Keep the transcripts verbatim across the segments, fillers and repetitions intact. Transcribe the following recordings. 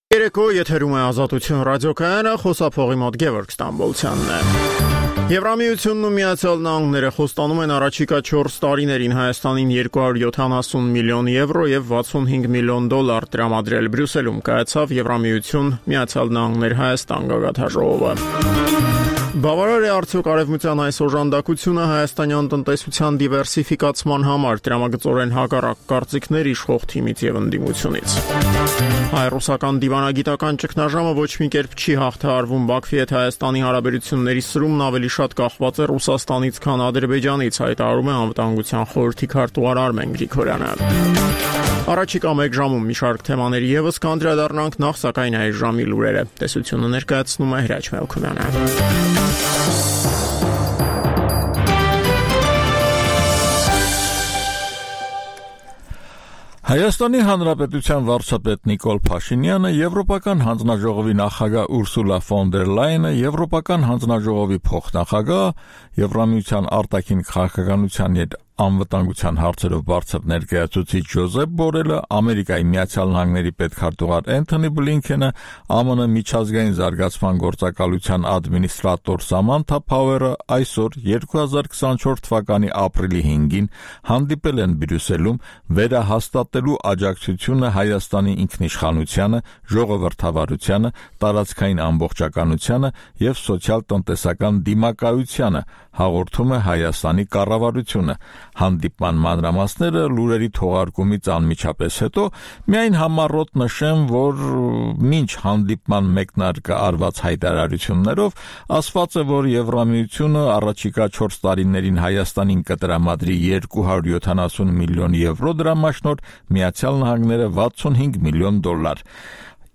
Երեկո եթերում է Ազատություն ռադիոկայանը, խոսափողի մոտ Գևորգ Ստամբոլցյանն է։ Եվրամիությունն ու Միացյալ Նահանգները խոստանում են առաջիկա չորս տարիներին Հայաստանին երկու հարյուր յոթանասուն միլիոն եվրո եւ վաթսունհինգ միլիոն դոլար տրամադրել։ Բրյուսելում կայացավ Եվրամիություն Միացյալ Նահանգներ Հայաստան գագաթնաժողովը։ Բավարար է արդյոք արևմտյան այս օժանդակությունը հայաստանյան տնտեսության դիվերսիֆիկացման համար, տրամագծորեն հակառակ կարծիքներ իշխող թիմից եւ ընդդիմությունից։ Հայ-ռուսական դիվանագիտական ճգնաժամը ոչ մի կերպ չի հաղթահարվում։ Բաքվի հետ Հայաստանի հարաբերությունների սրումն ավելի շատ կախված է Ռուսաստանից, քան Ադրբեջանից, հայտարարում է Անվտանգության խորհրդի քարտուղար Արմեն Գրիգորյանը։ Առաջիկա մեկ ժամում մի շարք թեմաների եւս կանդրադառնանք, նախ սակայն այս ժամի լուրերը։ Տեսությունը ներկայացնում է Հրաչ Մելքումյանը։ Հայաստանի Հանրապետության վարչապետ Նիկոլ Փաշինյանը, Եվրոպական հանձնաժողովի նախագահ Ուրսուլա ֆոն դեր Լայենը, Եվրոպական հանձնաժողովի փոխնախագահ, Եվրամիության արտաքին քաղաքականության եւ անվտանգության հարցերով բարձր ներկայացուցիչ Ջոզեփ Բորելը, Ամերիկայի Միացյալ Նահանգների պետքարտուղար Էնթոնի Բլինքենը, ԱՄՆ միջազգային զարգացման գործակալության ադմինիստրատոր Սամանթա Փաուերը այսօր երկու հազար քսանչորս թվականի ապրիլի հինգին հանդիպել են Բրյուսելում վերահաստատելու աջակցությունը Հայաստանի ինքնիշխանությանը, ժողովրդավարությանը, տարածքային ամբողջականությանը եւ սոցիալ-տնտեսական դիմակայությանը, հաղորդում է Հայաստանի կառավարությունը։ Հանդիպման մանրամասները լուրերի թողարկումից անմիջապես հետո միայն համառոտ նշեմ, որ մինչ հանդիպման մեկնարկը արված հայտարարություններով ասված է, որ Եվրամիությունը առաջիկա չորս տարիներին Հայաստանին կտրամադրի երկու հարյուր յոթանասուն միլիոն եվրո դրամաշնորհ, Միացյալ Նահանգները վաթսունհինգ միլիոն դոլար։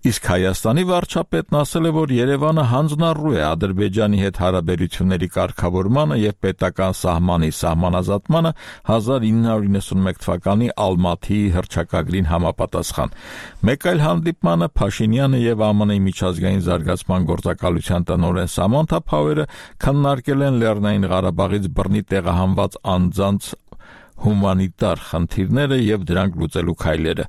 Իսկ Հայաստանի վարչապետն ասել է, որ Երևանը հանձնառու է Ադրբեջանի հետ հարաբերությունների կարգավորմանը եւ պետական սահմանի սահմանազատմանը հազար ինը հարյուր իննսունմեկ թվականի Ալմաթիի հռչակագրին համապատասխան։ Մեկ այլ հանդիպմանը Փաշինյանը եւ ԱՄՆ-ի միջազգային զարգացման գործակալության տնօրեն Սամանթա Փաուերը քննարկել են Լեռնային Ղարաբաղից բռնի տեղահանված անձանց հումանիտար խնդիրները եւ դրանք լուծելու քայլերը։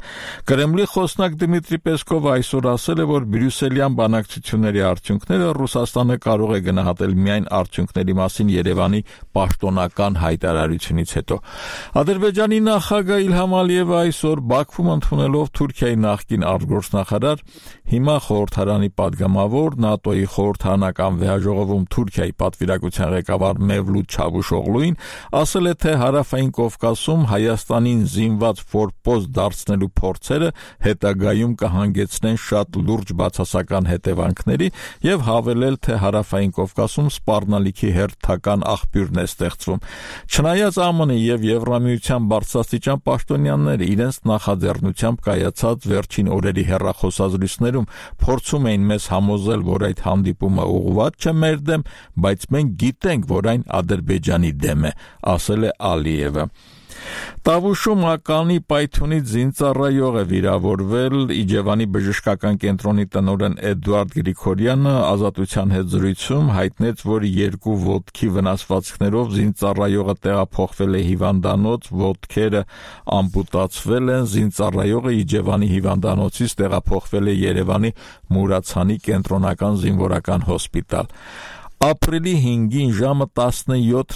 Կրեմլի խոսնակ Դմիտրի Պեսկովը այսօր ասել է, որ բրյուսելյան բանակցությունների արդյունքները Ռուսաստանը կարող է գնահատել միայն արդյունքների մասին Երևանի պաշտոնական հայտարարությունից հետո։ Ադրբեջանի նախագահ Իլհամ Ալիևը այսօր Բաքվում ընդունելով Թուրքիայի նախկին արտգործնախարար, հիմա խորհրդարանի падգամավոր, ՆԱՏՕ-ի խորհրդարանական վեհաժողովում Թուրքիայի պատվիրակության ղեկավար Մևլութ Չավուշօղլուին ասել է, թե հարավային Կովկասում Հայաստանին զինված ֆորպոստ դարձնելու փորձերը հետագայում կհանգեցնեն շատ լուրջ բացասական հետևանքների եւ հավելել, թե հարավային Կովկասում սպառնալիքի հերթական աղբյուրն է ստեղծվում։ Չնայած ԱՄՆ-ի եւ Եվրամիության բարձրաստիճան պաշտոնյաները իրենց նախաձեռնությամբ կայացած վերջին օրերի հեռախոսազրույցներում փորձում էին մեզ համոզել, որ այդ հանդիպումը ուղղված չէ մեր դեմ, բայց մենք գիտենք, որ այն Ադրբեջանի դեմ է, ասել է Ալիևը։ Տավուշում ականի պայթյունից զինծառայող է վիրավորվել Իջևանի բժշկական կենտրոնի տնօրեն Էդուարդ Գրիգորյանը Ազատության հետ զրույցում հայտնեց, որ երկու ոտքի վնասվածքներով զինծառայողը տեղափոխվել է հիվանդանոց, ոտքերը ամպուտացվել են, զինծառայողը Իջևանի հիվանդանոցից տեղափոխվել է Երևանի Մուրացանի կենտրոնական զինվորական հոսպիտալ։ Ապրիլի հինգին ժամը տասնյոթ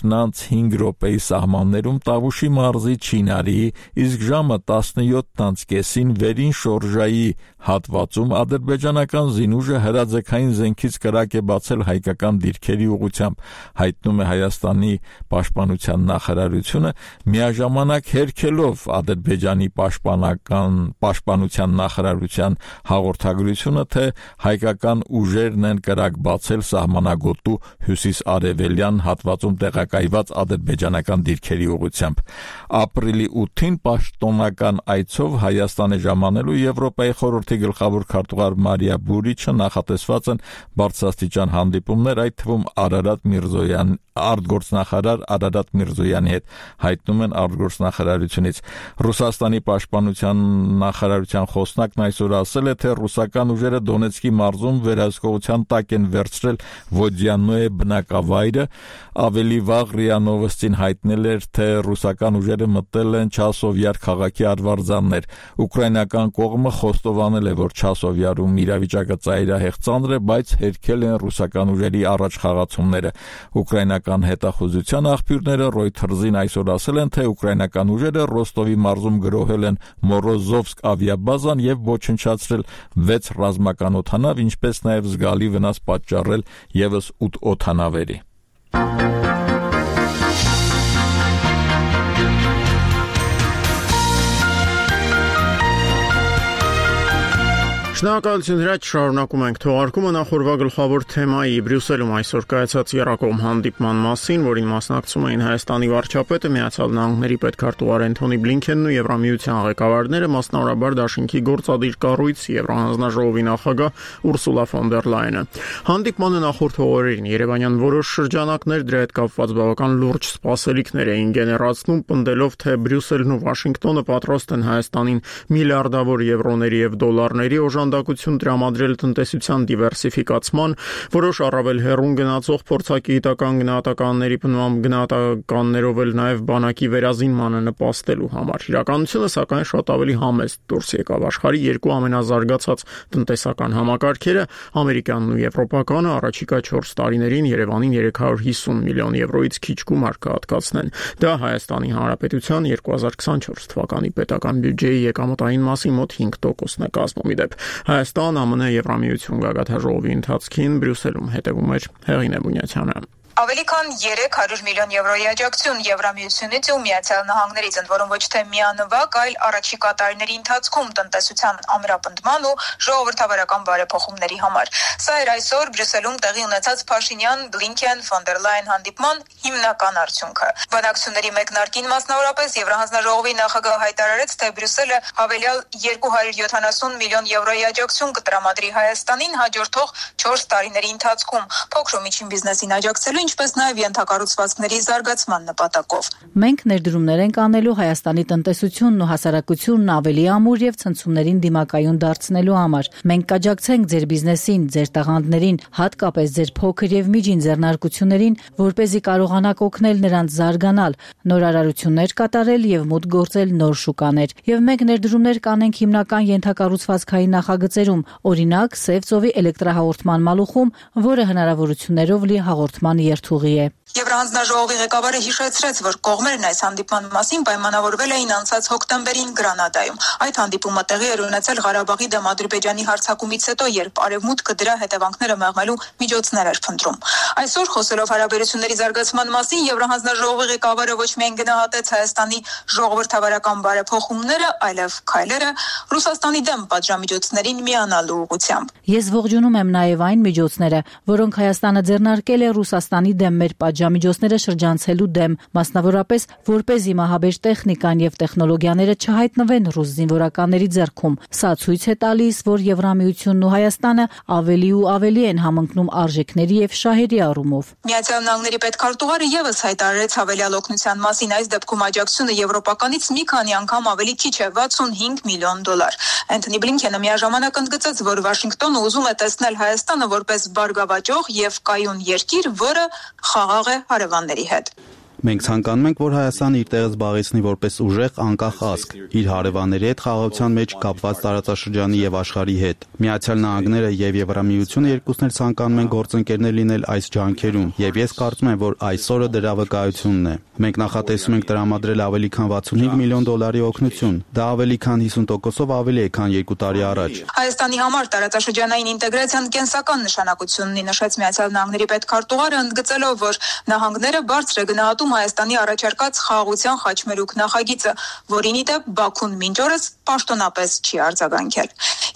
հինգ րոպեի սահմաններում Տավուշի մարզի Չինարիի, իսկ ժամը տասնյոթ կեսին Վերին Շորժայի հատվածում ադրբեջանական զինուժը հրաձգային զենքից կրակ է բացել հայկական դիրքերի ուղղությամբ, հայտնում է Հայաստանի պաշտպանության նախարարությունը, միաժամանակ հերքելով Ադրբեջանի պաշտպանական պաշտպանության նախարարության հաղորդագրությունը, թե հայկական ուժերն են կրակ բացել սահմանագոտու հյուսիս-արևելյան հատվածում տեղակայված ադրբեջանական դիրքերի ուղղությամբ։ Ապրիլի ութին պաշտոնական այցով Հայաստան է ժամանելու Եվրոպայի խորհրդի գլխավոր քարտուղար Մարիա Բուրիչը, նախատեսված են բարձրաստիճան հանդիպումներ, այդ թվում Արարատ Միրզոյան, արտգործնախարար Արարատ Միրզոյանի հետ, հայտնում են արտգործնախարարությունից։ Ռուսաստանի պաշտպանության նախարարության խոսնակն այսօր ասել է, թե ռուսական ուժերը Դոնեցկի մարզում վերահսկողության տակ են վերցրել Ոդյանոյե բնակավայրը, ավելի վաղ ՌԻԱ Նովոստին հայտնել էր, թե ռուսական ուժերը մտել են Չասովյար քաղաքի արվարձաններ։ Ուկրաինական կողմը խոստովանել արձանել է, որ Չասովյարում իրավիճակը ծայրահեղ ծանր է, բայց հերքել են ռուսական ուժերի առաջխաղացումները։ Ուկրաինական հետախուզության աղբյուրները Reuters-ին այսօր ասել են, թե ուկրաինական ուժերը Ռոստովի մարզում գրոհել են Մորոզովսկ ավիաբազան եւ ոչնչացրել վեց ռազմական օդանավ, ինչպես նաեւ զգալի վնաս պատճառել եւս ութ օդանավերի։ Շնորհակալություն հրաչ, շարունակում ենք թողարկումը նախորդ գլխավոր թեմայի Բրյուսելում այսօր կայացած եռակողմ հանդիպման մասին, որին մասնակցում էին Հայաստանի վարչապետը, Միացյալ Նահանգների պետքարտուղար Էնթոնի Բլինքենն ու Եվրամիության ղեկավարները, մասնավորաբար Դաշինքի գործադիր կառույց Եվրահանձնաժողովի նախագահ Ուրսուլա ֆոն դեր Լայենը։ Հանդիպմանը նախորդ օրերին երևանյան որոշ շրջանակներ դրա հետ կապված բավական լուրջ սպասելիքներ էին գեներացնում, պնդելով, թե Բրյուսելն ու Վաշինգտոնը պատրաստ են Հայաստանին միլիարդավոր եվրոների եւ դոլարների օժանդակություն տրամադրել տնտեսության դիվերսիֆիկացման, որոշ առավել հեռուն գնացող փորձագիտական գնահատականների բնույթ գնահատականներով էլ նաև բանակի վերազինմանը նպաստելու համար։ Իրականությունը սակայն շատ ավելի համեստ դուրս եկավ։ Աշխարհի երկու ամենազարգացած տնտեսական համակարգերը, ամերիկյանն ու եվրոպականը, առաջիկա չորս տարիներին Երևանին երեք հարյուր հիսուն միլիոն եվրոից քիչ գումար կհատկացնեն։ Դա Հայաստանի Հանրապետության երկու հազար քսանչորս թվականի պետական բյուջեի եկամտային մասի մոտ հինգ տոկոսն է կազմում։ Իդեպ Հայաստան, ԱՄՆ, Եվրամիություն գագաթնաժողովի ընթացքին Բրյուսելում հետևում էր Հեղինե Բունյացյանը։ Ավելի քան երեք հարյուր միլիոն եվրոյի աջակցություն Եվրամիությունից ու Միացյալ Նահանգներից, ընդ որում ոչ թե միանվագ, այլ առաջիկա տարիների ընթացքում տնտեսության ամրապնդման ու ժողովրդավարական բարեփոխումների համար։ Սա էր այսօր Բրյուսելում տեղի ունեցած Փաշինյան, Բլինքեն, ֆոն դեր Լայն հանդիպման հիմնական արդյունքը։ Բանակցությունների մեկնարկին մասնավորապես Եվրահանձնաժողովի նախագահը հայտարարեց, թե Բրյուսելը հավելյալ երկու հարյուր յոթանասուն միլիոն եվրոյի աջակցություն կտրամադրի Հայաստանին հաջորդող չորս տարիների ընթացքում, փոքր ու միջին բիզնեսին աջակցելու, ինչպես նաև ենթակառուցվածքների զարգացման նպատակով։ Մենք ներդրումներ ենք անելու Հայաստանի տնտեսությունն ու հասարակությունն ավելի ամուր եւ ցնցումներին դիմակայուն դարձնելու համար։ Մենք կաջակցենք ձեր բիզնեսին, ձեր տաղանդներին, հատկապես ձեր փոքր եւ միջին ձեռնարկություններին, որպեսզի կարողանաք օգնել նրանց զարգանալ, նորարարություններ կատարել եւ մուտք գործել նոր շուկաներ։ Եվ մենք ներդրումներ կանենք հիմնական ենթակառուցվածքային նախագծերում, օրինակ Սև ծովի էլեկտրահաղորդման մալուխում, որը հնարավորություններով լի հաղորդման երթուղի է։ Եվրահանձնաժողովի ղեկավարը հիշեցրեց, որ կողմերն այս հանդիպման մասին պայմանավորվել էին անցած հոկտեմբերին Գրանադայում։ Այդ հանդիպումը տեղի էր ունեցել Ղարաբաղի դեմ Ադրբեջանի հարձակումից հետո, երբ Արևմուտքը դրա հետևանքները մեղմելու միջոցներ էր փնտրում։ Այսօր խոսելով հարաբերությունների զարգացման մասին, Եվրահանձնաժողովի ղեկավարը ոչ միայն գնահատեց Հայաստանի ժողովրդավարական բարեփոխումները, այլև քայլերը Ռուսաստանի դեմ պատժամիջոցներին միանալու ուղղությամբ։ Ես ողջունում եմ նաև այն միջոցները, որոնք Հայաստանը ձեռնարկել է Ռուսաստանի դեմ մեր պատժամիջոցները շրջանցելու դեմ, մասնավորապես որպեսզի մահաբեր տեխնիկան եւ տեխնոլոգիաները չհայտնվեն ռուս զինվորականների ձեռքում։ Սա ցույց է տալիս, որ Եվրամիությունն ու Հայաստանը ավելի ու ավելի են համընկնում արժեքների եւ շահերի առումով։ Միացյալ Նահանգների պետքարտուղարը եւս հայտարարեց հավելյալ օգնության մասին, այս դեպքում աջակցությունը եվրոպականից մի քանի անգամ ավելի քիչ է՝ վաթսունհինգ միլիոն դոլար։ Էնթոնի Բլինքենը միաժամանակ ընդգծեց, որ Վաշինգտոնը ուզում է տեսնել Հայաստանը որպես բարգավաճող եւ կայուն երկիր, որը խաղաղ է հարևանների հետ։ Մենք ցանկանում ենք, որ Հայաստանը իր տեղը զբաղեցնի որպես ուժեղ, անկախ ազգ, իր հարևանների հետ խաղաղության մեջ կապված տարածաշրջանի եւ աշխարհի հետ։ Միացյալ Նահանգները եւ Եվրամիությունը երկուսն էլ ցանկանում են գործընկերներ լինել այս ջանքերում, եւ ես կարծում եմ, որ այսօրը դրա վկայությունն է։ Մենք նախատեսում ենք տրամադրել ավելի քան վաթսունհինգ միլիոն դոլարի օգնություն։ Դա ավելի քան հիսուն տոկոսով ավելի է, քան երկու տարի առաջ։ Հայաստանի համար տարածաշրջանային ինտեգրացիան կենսական նշանակություն ունի, նշեց Միացյալ Նահանգների պետքարտուղարը, ընդգծելով, որ նահանգները բարձր է գնահատում Հայաստանի առաջարկած խաղաղության խաչմերուկ նախագիծը, որին ի դեպ Բաքուն մինչ օրս պաշտոնապես չի արձագանքել։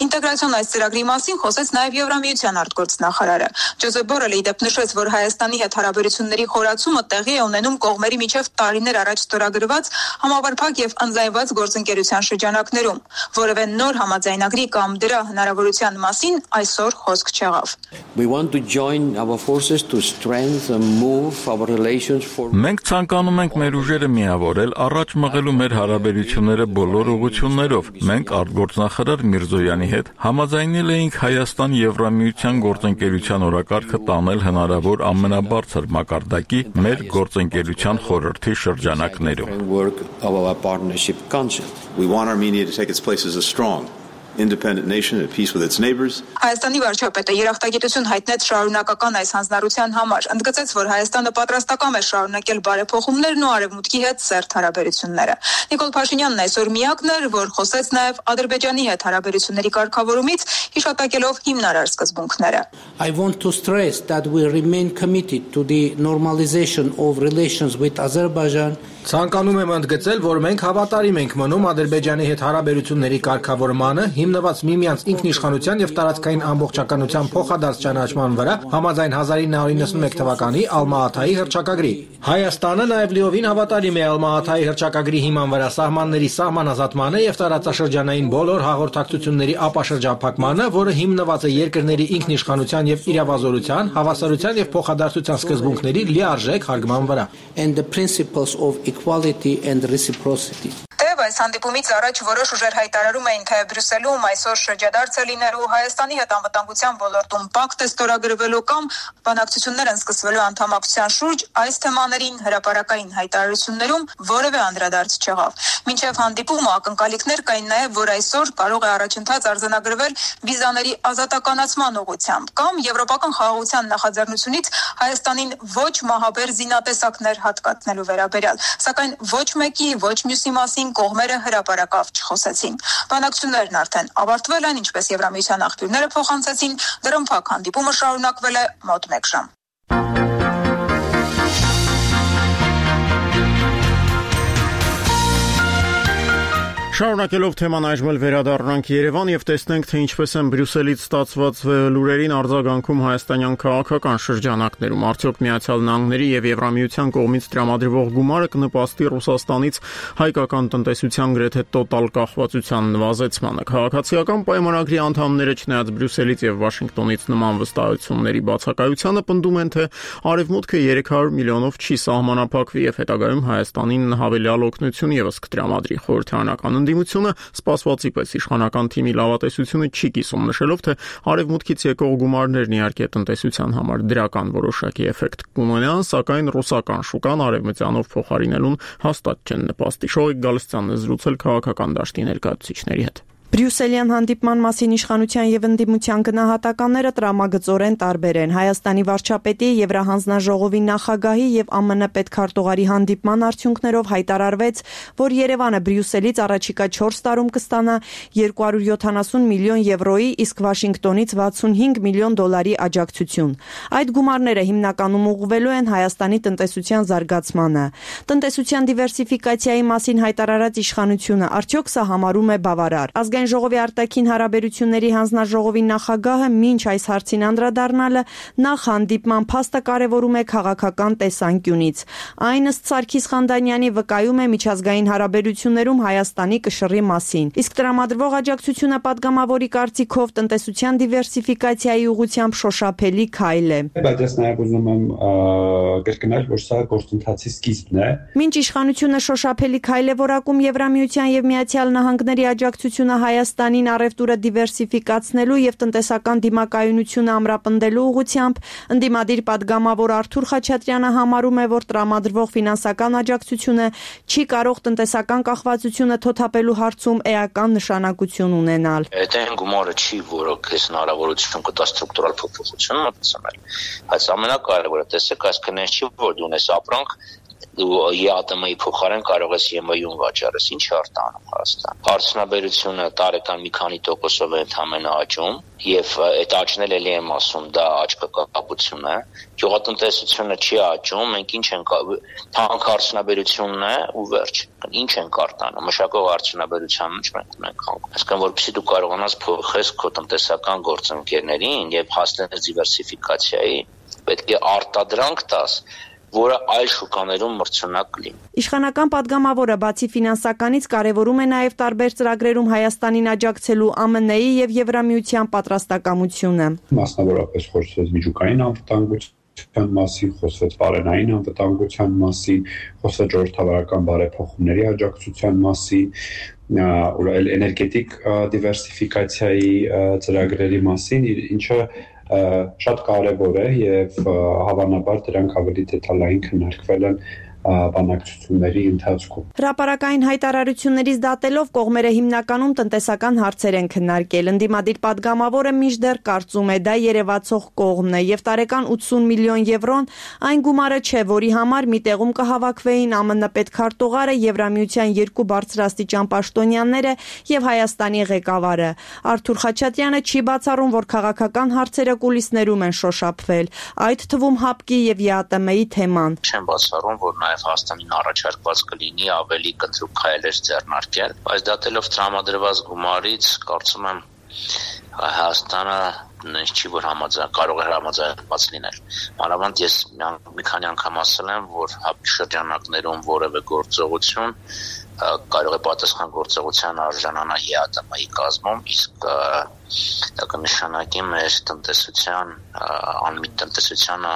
Ինտեգրացիոն այս ծրագրի մասին խոսեց նաև Եվրամիության արտգործնախարարը։ Ջոզեփ Բորելը ի դեպ նշեց, որ Հայաստանի հետ հարաբերությունների խորացումը տեղի է ունենում կողմերի միջև տարիներ առաջ ստորագրված համապարփակ եւ ընդլայնված գործընկերության շրջանակներում, որևէ նոր համաձայնագրի կամ դրա հնարավորության մասին այսօր խոսք չեղավ։ Մենք ցանկանում ենք մեր ուժերը միավորել, առաջ մղելու մեր հարաբերությունները բոլոր ուղղություններով։ Մենք արտգործնախարար Միրզոյանի հետ համաձայնել էինք Հայաստան-Եվրամիության գործընկերության օրակարգը տանել հնարավոր ամենաբարձր մակարդակի մեր գործընկերության խորհրդի շրջանակներում։ independent nation at peace with its neighbors. Հայաստանի վարչապետը երախտագիտություն հայտնեց շարունակական այս հանձնառության համար, ընդգծեց, որ Հայաստանը պատրաստական է շարունակել բարեփոխումներն ու Արևմուտքի հետ սերտ հարաբերությունները։ Նիկոլ Փաշինյանն այսօր միակն էր, որ խոսեց նաև Ադրբեջանի հետ հարաբերությունների կարգավորումից, հիշատակելով հիմնարար սկզբունքները։ I want to stress that we remain committed to the normalization of relations with Azerbaijan. Ցանկանում եմ ընդգծել, որ մենք հավատարիմ ենք մնում Ադրբեջանի հետ հարաբերությունների կարգավորմանը, հիմնված միմյանց ինքնիշխանության եւ տարածքային ամբողջականության փոխադարձ ճանաչման վրա, համաձայն հազար ինը հարյուր իննսունմեկ թվականի Ալմա-Աթայի հռչակագրի։ Հայաստանը նաև լիովին հավատարիմ է Ալմա-Աթայի հռչակագրի հիման վրա սահմանների սահմանազատմանը եւ տարածաշրջանային բոլոր հաղորդակցությունների ապաշրջափակմանը, որը հիմնված է երկրների ինքնիշխանության եւ իրավազորության, հավասարության եւ փոխադարձության սկզբունքների լիարժեք հարգման վրա։ And the principles of equality and reciprocity. Թեև այս հանդիպումից առաջ որոշ ուժեր հայտարարում էին, թե Բրյուսելում այսօր շրջադարձ է լինելու Հայաստանի հետ անվտանգության ոլորտում պակտ է ստորագրվելու կամ բանակցություններ են սկսվելու անդամակցության շուրջ, այս թեմաներին հրապարակային հայտարարություններում որևէ անդրադարձ չեղավ։ Մինչև հանդիպումը ակնկալիքներ կային նաև, որ այսօր կարող է առաջընթաց արձանագրվել վիզաների ազատականացման ուղղությամբ կամ եվրոպական խաղաղության նախաձեռնությունից Հայաստանին ոչ մահաբեր զինատեսակներ հատկացնելու վերաբերյալ, սակայն ոչ մեկի, ոչ մյուսի մասին կողմերը հրապարակավ չխոսեցին։ Բանակցություններն արդեն ավարտվել են, ինչպես Եվրամիության աղբյուրները փոխանցեցին, դրամփակ հանդիպումը շարունակվել է մոտ մեկ ժամ։ Շարունակելով թեման այժմ էլ վերադառնանք Երևան եւ տեսնենք, թե ինչպես են Բրյուսելից ստացված լուրերին արձագանքում հայաստանյան քաղաքական շրջանակներում։ Արդյոք Միացյալ Նահանգների եւ Եվրամիության կողմից տրամադրվող գումարը կնպաստի Ռուսաստանից հայկական տնտեսության գրեթե տոտալ կախվածության նվազեցմանը։ Քաղաքացիական պայմանագրի անդամները, չնայած Բրյուսելից եւ Վաշինգտոնից նման վստահությունների բացակայությանը, պնդում են, թե Արևմուտքը երեք հարյուր միլիոնով չի սահմանափակվի եւ հետագայում Հայաստանին հավելյալ օգնություն եւս կտրամադրի։ Խորհրդարանական ընդդիմությունը սպասվածի պես իշխանական թիմի լավատեսությունը չի կիսում, նշելով, թե Արևմուտքից եկող գումարներն իհարկե տնտեսության համար դրական որոշակի էֆեկտ կունենան, սակայն ռուսական շուկան արևմտյանով փոխարինելուն հաստատ չեն նպաստի։ Շոյիկ Գալստյանն է զրուցել քաղաքական դաշտի ներկայացուցիչների հետ։ Բրյուսելյան հանդիպման մասին իշխանության եւ ընդդիմության գնահատականները տրամագծորեն տարբեր են։ Հայաստանի վարչապետի, Եվրահանձնաժողովի նախագահի եւ ԱՄՆ պետքարտուղարի հանդիպման արդյունքներով հայտարարվեց, որ Երևանը Բրյուսելից առաջիկա չորս տարում կստանա երկու հարյուր յոթանասուն միլիոն եվրոյի, իսկ Վաշինգտոնից վաթսունհինգ միլիոն դոլարի աջակցություն։ Այդ գումարները հիմնականում ուղղվելու են Հայաստանի տնտեսության զարգացմանը։ Տնտեսության դիվերսիֆիկացիայի մասին հայտարարած իշխանությունը արդյոք սա համարում է բավարար։ Ազգային ժողովի արտաքին հարաբերությունների հանձնաժողովի նախագահը մինչ այս հարցին անդրադառնալը նախ հանդիպման փաստը կարևորում է քաղաքական տեսանկյունից։ Այն ըստ Սարգիս Խանդանյանի վկայում է միջազգային հարաբերություններում Հայաստանի կշռի մասին։ Իսկ տրամադրվող աջակցությունը պատգամավորի կարծիքով տնտեսության դիվերսիֆիկացիայի ուղղությամբ շոշափելի քայլ է։ Բայց ես նաև ուզում եմ կրկնել, որ սա գործընթացի սկիզբն է։ Մինչ իշխանությունը շոշափելի քայլ է որակում Եվրամիության եւ Միացյալ Նահանգների աջակցությունը Հայաստանին առևտուրը դիվերսիֆիկացնելու եւ տնտեսական դիմակայունությունը ամրապնդելու ուղղությամբ, ընդդիմադիր պատգամավոր Արթուր Խաչատրյանը համարում է, որ տրամադրվող ֆինանսական աջակցությունը չի կարող տնտեսական կախվածությունը թոթափելու հարցում էական նշանակություն ունենալ։ Այդ այն գումարը չի, որը քեզ հնարավորություն կտա ստրուկտուրալ փոփոխություն մտցնել։ Բայց ամենակարևորը տեսեք, այս քննես չի, որ դու ունես ապրանք ու ԵԱՏՄ-ի փոխարեն կարող ես ԵՄ-ում վաճառես, ինչ արտանում Հայաստան։ Արդյունաբերությունը տարեկան մի քանի տոկոսով է ընդհանրապես աճում, եւ այդ աճն էլ էլի եմ ասում, դա աճկապություն է։ Գյուղատնտեսությունը չի աճում, մենք ինչ ենք թանկ արդյունաբերությունն է ու վերջ։ Ինչ ենք արտանում, մշակող արդյունաբերության մեջ մենք ունենք հանգում։ Այսինքն, որպեսզի դու կարողանաս փոխես քո տնտեսական գործընկերներին եւ հասնես դիվերսիֆիկացիայի, պետք է արտադրանք տաս, որը այլ շուկաներում մրցունակ լինի։ Իշխանական պատգամավորը բացի ֆինանսականից կարևորում է նաև տարբեր ծրագրերում Հայաստանին աջակցելու ԱՄՆ-ի եւ Եվրամիության պատրաստակամությունը։ Մասնավորապես խոսվեց միջուկային անվտանգության մասին, խոսվեց բարենային անվտանգության մասին, խոսվեց ժողովրդավարական բարեփոխումների աջակցության մասին, ուր էներգետիկ դիվերսիֆիկացիայի ծրագրերի մասին, ինչը շատ կարևոր է եւ հավանաբար դրանք ավելի դետալային քննարկվել են բանակցությունների ընթացքում։ Հրապարակային հայտարարություններից դատելով կողմերը հիմնականում տնտեսական հարցեր են քննարկել։ Ընդդիմադիր падգամավորը մինչդեռ կարծում է դա երևացող կողմն է եւ տարեկան ութսուն միլիոն եվրոն այն գումարը չէ, որի համար մի տեղում կհավաքվեին ԱՄՆ պետքարտուղարը, Եվրամիության երկու բարձրաստիճան պաշտոնյաները եւ Հայաստանի ղեկավարը։ Արթուր Խաչատրյանը չի բացառում, որ քաղաքական հարցերը կուլիսներում են շոշափվել, այդ թվում ՀԱՊԿ-ի եւ ԵԱՏՄ-ի թեման։ Չեմ բացառում, որ նաեւ Հայաստանին առաջարկված կլինի ավելի կտրուկ քայլեր ձեռնարկել, բայց դատելով տրամադրված գումարից, կարծում եմ Հայաստանը նույնիսկ չի որ համաձայն կարող է համաձայնված լինել։ Մանավանդ ես մի քանի անգամ ասել եմ, որ ՀԱՊԿ շրջանակներում որևէ գործողություն կարող է պատասխան գործողության արժանանա ԵԱՏՄ-ի կազմում, իսկ դա կնշանակի մեր տնտեսության, անմիտ տնտեսությանը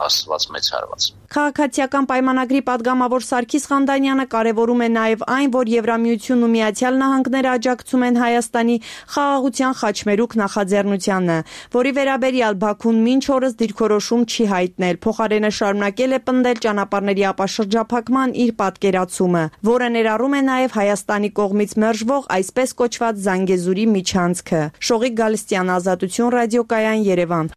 հասցված մեծ հարված։ Քաղաքացիական պայմանագրի падգամավոր Սարգիս Խանդանյանը կարևորում է նաև այն, որ Եվրամիությունն ու Միացյալ Նահանգները աջակցում են Հայաստանի խաղաղության խաչմերուկ նախաձեռնությանը, որի վերաբերյալ Բաքուն մինչ օրս դիրքորոշում չի հայտնել, փոխարենը շարունակել է պնդել ճանապարհների ապաշրջափակման իր պատկերացումը, որը ներառում է նաև Հայաստանի կողմից մերժվող այսպես կոչված Զանգեզուրի միջանցքը։ Շողիկ Գալստյան, Ազատություն ռադիոկայան, Երևան։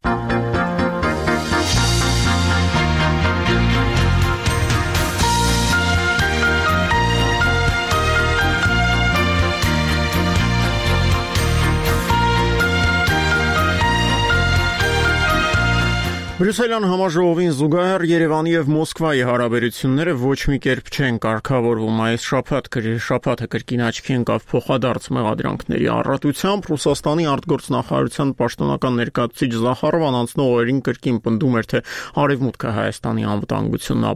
Բրյուսելյան համաժողովին զուգահեռ Երևանի եւ Մոսկվայի հարաբերությունները ոչ մի կերպ չեն կարգավորվում։ Այս շաբաթ շաբաթը կրկին աչքի ընկավ փոխադարձ մեղադրանքների առատությամբ։ Ռուսաստանի արտգործնախարարության պաշտոնական ներկայացուցիչ Զախարովան անցնող օրերին կրկին պնդում էր, թե Արևմուտքը Հայաստանի անվտանգությունն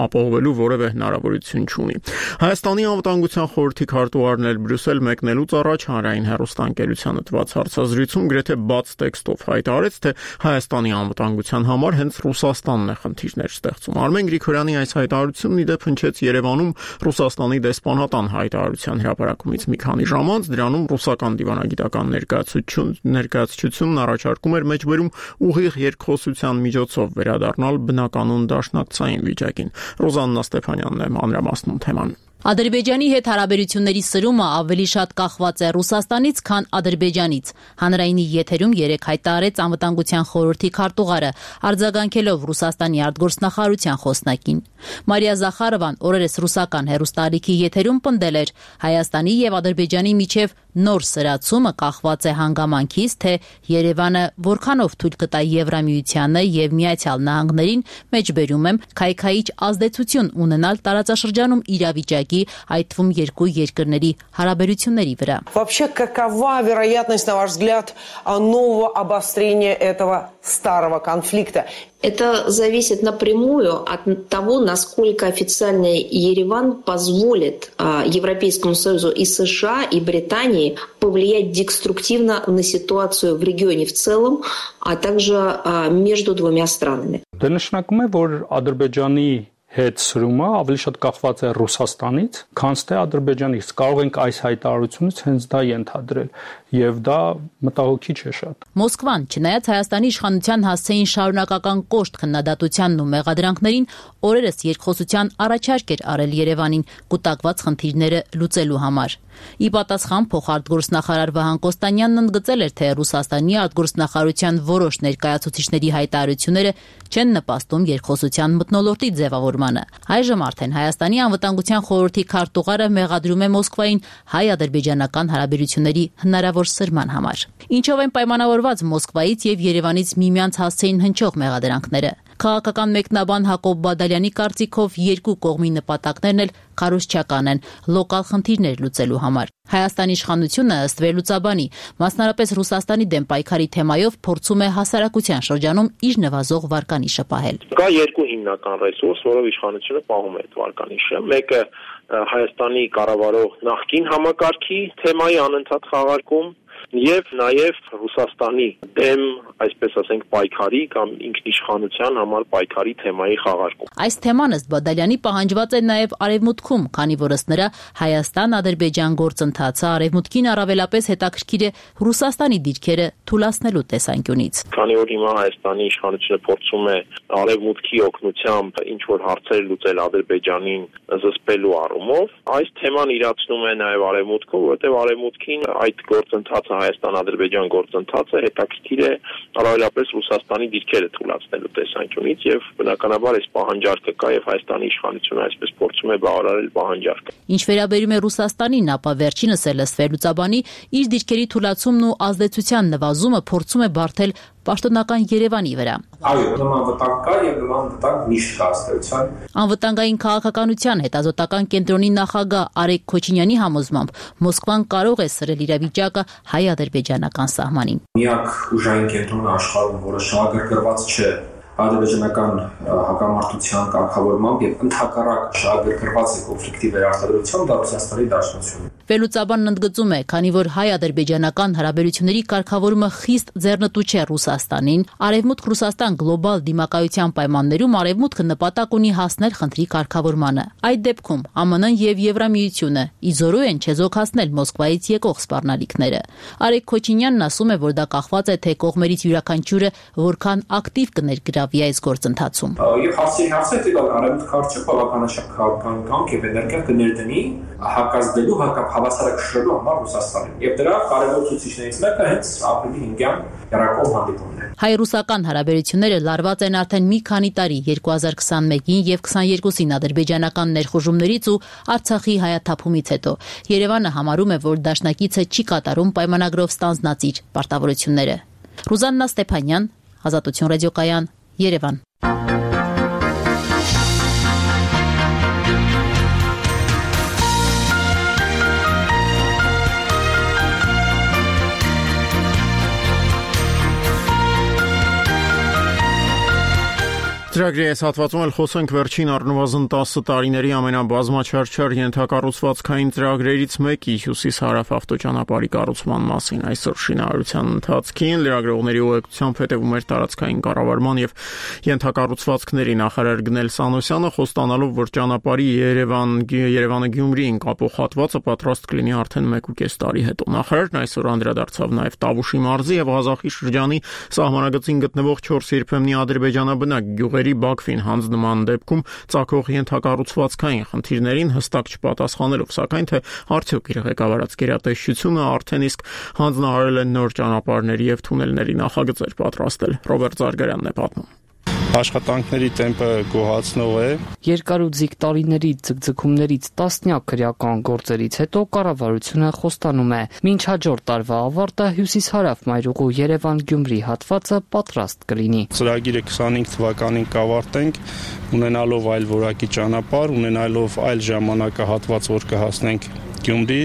ապահովելու որևէ հնարավորություն չունի։ Հայաստանի անվտանգության խորհրդի քարտուղարն էլ Բրյուսել մեկնելուց առաջ հանրային հեռուստաընկերությանը տված հարցազրույցում գրեթե բաց տեքստով հայտարարեց, թե Հայաստանի անվտանգության համար հենց Ռուսաստանն է խնդիրներ ստեղծում։ Արմեն Գրիգորյանի այս հայտարարությունն ի դեպ հնչեց Երևանում Ռուսաստանի դեսպանատան հայտարարության հրապարակումից մի քանի ժամ անց, դրանում ռուսական դիվանագիտական ներկայացություն ներկայացությունն առաջարկում էր մեջբերում ուղիղ երկխոսության միջոցով վերադառնալ բնականոն դաշնակցային վիճակին։ Ռոզաննա Ստեփանյանն է մանրամասնում թեման։ Ադրբեջանի հետ հարաբերությունների սրումը ավելի շատ կախված է Ռուսաստանից, քան Ադրբեջանից։ Հանրայինի եթերում երեկ հայտարարեց անվտանգության խորհրդի քարտուղարը, արձագանքելով Ռուսաստանի արտգործնախարարության խոսնակին։ Մարիա Զախարովան օրերս ռուսական հեռուստաալիքի եթերում պնդել էր, Հայաստանի եւ Ադրբեջանի միջև նոր սրացումը կախված է հանգամանքից, թե Երևանը որքանով թույլ կտա Եվրամիությանը եւ Միացյալ Նահանգներին, մեջբերում եմ, քայքայիչ ազդեցություն ունենալ տարածաշրջանում իրավիճակի, այդ թվում երկու երկրների հարաբերությունների վրա։ Вообще, какова вероятность, на ваш взгляд, нового обострения этого старого конфликта? Это зависит напрямую от того, насколько официально Ереван позволит а, Европейскому Союзу и США, и Британии повлиять деструктивно на ситуацию в регионе в целом, а также а, между двумя странами. Դա նշանակում է, որ Ադրբեջանի հետ սրումը ավելի շատ կախված է Ռուսաստանից, քան թե Ադրբեջանից։ Կարող ենք այս հայտարարությունից հենց դա ենթադրել, եւ դա մտահոգիչ է շատ։ Մոսկվան, չնայած Հայաստանի իշխանության հասցեին շարունակական կոշտ քննադատությանն ու մեղադրանքներին, օրերս երկխոսության առաջարկ էր արել Երևանին կուտակված խնդիրները լուծելու համար։ Ի պատասխան փոխարտգործնախարար Վահան Կոստանյանն ընդգծել էր, թե Ռուսաստանի արտգործնախարարության որոշ ներկայացուցիչների հայտարարությունները չեն նպաստում երկխոսության մթնոլորտի ձևավորմանը։ Այժմ արդեն Հայաստանի անվտանգության խորհրդի քարտուղարը մեղադրում է Մոսկվային հայ-ադրբեջանական հարաբերությունների հնարավոր սրման համար։ Ինչով են պայմանավորված Մոսկվայից եւ Երևանից միմյանց հասցեին հնչող մեղադրանքները։ Քաղաքական մեկնաբան Հակոբ Բադալյանի կարծիքով երկու կողմի նպատակներն էլ քարոզչական են՝ լոկալ խնդիրներ լուծելու համար։ Հայաստանի իշխանությունը ըստ վերլուծաբանի, մասնարարպես Ռուսաստանի դեմ պայքարի թեմայով փորձում է հասարակության շրջանում իր նվազող վարկանիշը պահել։ Կա երկու հիմնական ռեսուրս, որով իշխանությունը պահում է այդ վարկանիշը։ Մեկը Հայաստանի կառավարող նախկին համակարգի թեմայի անընդհատ խաղարկում, եւ նաեւ Ռուսաստանի դեմ, այսպես ասենք, պայքարի կամ ինքնիշխանության համար պայքարի թեմայի խաղարկում։ Այս թեման ըստ Բադալյանի պահանջված է նաեւ Արևմուտքում, քանի որ ըստ նրա Հայաստան-Ադրբեջան գործընթացը Արևմուտքին առավելապես հետաքրքիր է Ռուսաստանի դիրքերը թուլացնելու տեսանկյունից։ Քանի որ հիմա Հայաստանի իշխանությունը փորձում է Արևմուտքի օգնությամբ ինչ որ հարցեր լուծել Ադրբեջանին զսպելու առումով, այս թեման իրացնում է նաեւ Արևմուտքում, որովհետեւ Արևմուտքին այդ գործընթացը Հայաստան-Ադրբեջան գործընթացը հետաքրքիր է առավելապես Ռուսաստանի դիրքերը թուլացնելու տեսանկյունից եւ բնականաբար այս պահանջարկը կա եւ Հայաստանի իշխանությունը այսպես փորձում է բավարարել պահանջարկը։ Ինչ վերաբերում է Ռուսաստանին, ապա վերջինս է լսվել լուծաբանի իր դիրքերի թուլացումն ու ազդեցության նվազումը փորձում է բարթել պաշտոնական Երևանի վրա։ Այո, նման վտանգ կա եւ նման վտանգ միշտ կա ըստեյության։ Անվտանգային քաղաքականության հետազոտական կենտրոնի նախագահ Արեգ Քոչինյանի համոզմամբ Մոսկվան կարող է սրել իրավիճակը հայ-ադրբեջանական սահմանին։ Միակ ուժային կենտրոնը աշխարհում, որը շահագրգռված չէ ադրբեջանական հակամարտության կարգավորմամբ եւ ընդհակառակ շահագրգռված է կոնֆլիկտի վերարտադրությամբ, դա Ռուսաստանի Դաշնությունն է։ Վերլուծաբանն ընդգծում է, քանի որ հայ-ադրբեջանական հարաբերությունների կարգավորումը խիստ ձեռնտու չէ Ռուսաստանին, Արևմուտք-Ռուսաստան գլոբալ դիմակայության պայմաններում Արևմուտքը նպատակ ունի հասնել խնդրի կարգավորմանը։ Այդ դեպքում ԱՄՆ-ն եւ Եվրամիությունը իզորու են չեզոքացնել Մոսկվայից եկող սպառնալիքները։ Արեգ Քոչինյանն ասում է, որ դա կախված է թե կողմերից յուրաքանչյուրը որքան ակտիվ կներգրավի այս գործընթացում։ Եվ հարցի հարցը դա Արևմուտքը կարճ բավականաչափ քաղաքական կամք եւ էներգիա կներդնի հակազդելու հակապ հավասարակշռելու համար Ռուսաստանին։ Եւ դրա կարևոր ցուցիչներից մեկը հենց ապրիլի հինգյան երակոմ հանդիպումն է։ Հայ-ռուսական հարաբերությունները լարված են արդեն մի քանի տարի երկու հազար քսանմեկին եւ քսաներկուսին ադրբեջանական ներխուժումներից ու Արցախի հայաթափումից հետո։ Երևանը համարում է, որ դաշնակիցը չի կատարում պայմանագրով ստանձնածիր պարտավորությունները։ Ռուզաննա Ստեփանյան, Ազատություն ռադիոկայան, Երևան։ Ծրագրի այս հատվածում էլ խոսենք վերջին առնվազն տասը տարիների ամենաբազմաչարչար ենթակառուցվածքային ծրագրերից մեկի հյուսիս-հարավ ավտոճանապարհի կառուցման մասին։ Այսօր շինարարության ընթացքին լրագրողների ուղեկցությամբ հետևում էր տարածքային կառավարման եւ ենթակառուցվածքների նախարար Գնել Սանոսյանը, խոստանալով, որ ճանապարհի Երևան-Երևանը-Գյումրիին կապող հատվածը պատրաստ կլինի արդեն մեկ ու կես տարի հետո։ Նախարարն այսօր անդրադարձավ նաեւ Տավուշի մարզի եւ Ղազախի շրջանի սահմանագծին գտնվող չորս երբեմնի ադրբեջանաբնակ գյուղերի Բաքվին հանձնման դեպքում ծագող ենթակառուցվածքային խնդիրներին հստակ չպատասխանելով, սակայն թե արդյոք իր ղեկավարած գերատեսչությունը արդեն իսկ հանձնարարել է նոր ճանապարհների եւ թունելների նախագծեր պատրաստել։ Ռոբերտ Զարգարյանն է պատմում։ Աշխատանքների տեմպը գոհացնող է։ Երկարուձիգ տարիների ձգձգումներից տասնյակ քրեական գործերից հետո կառավարությունը խոստանում է, մինչ հաջորդ տարվա ավարտը հյուսիս-հարավ մայրուղու Երևան-Գյումրի հատվածը պատրաստ կլինի։ Ծրագիրը քսանհինգ թվականին կավարտենք, ունենալով այլ որակի ճանապարհ, ունենալով այլ ժամանակահատված, որ կհասնենք Գյումրի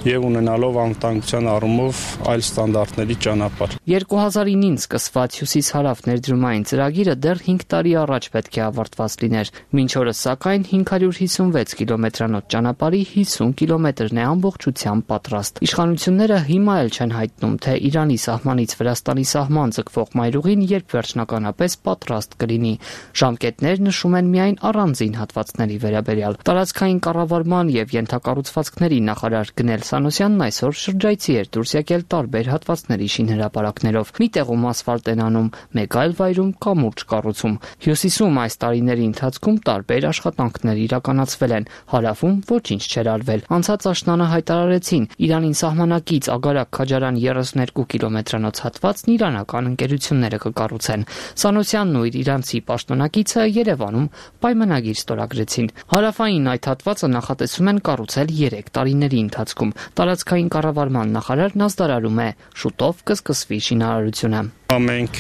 եւ ունենալով անվտանգության առումով այլ ստանդարտների ճանապարհ։ երկու հազար նոյին սկսված հյուսիս-հարավ ներդրումային ծրագիրը դեռ հինգ տարի առաջ պետք է ավարտված լիներ։ Մինչ օրս սակայն հինգ հարյուր հիսունվեց կիլոմետրանոց ճանապարհի հիսուն կիլոմետրն է ամբողջությամբ պատրաստ։ Իշխանությունները հիմա էլ չեն հայտնում, թե Իրանի սահմանից Վրաստանի սահման ձգվող մայրուղին երբ վերջնականապես պատրաստ կլինի։ Ժամկետներ նշում են միայն առանձին հատվածների վերաբերյալ։ Տարածքային կառավարման եւ ենթակառուցվածքների նախարար Գնել Սանոսյանն այսօր շրջայցի էր դուրս եկել տարբեր հատվածների շինհրապարակներով։ Մի տեղում ասֆալտ են անում, մեկ այլ վայրում կամուրջ կառուցում։ Հյուսիսում այս տարիների ընթացքում տարբեր աշխատանքներ իրականացվել են, հարավում ոչինչ չէր արվել։ Անցած աշնանը հայտարարեցին, Իրանին սահմանակից Ագարակ-Քաջարան երեսունյոթ կիլոմետրանոց հատվածն իրանական ընկերությունները կկառուցեն։ Սանոսյանն ու իր իրանցի պաշտոնակիցը Երևանում պայմանագիր ստորագրեցին։ Հարավային այդ հատվածը նախատեսում են կառուցել երեք տարիների ընթացքում։ Տարածքային կառավարման նախարարն ազդարարում է, շուտով կսկսվի շինարարությունը։ Մենք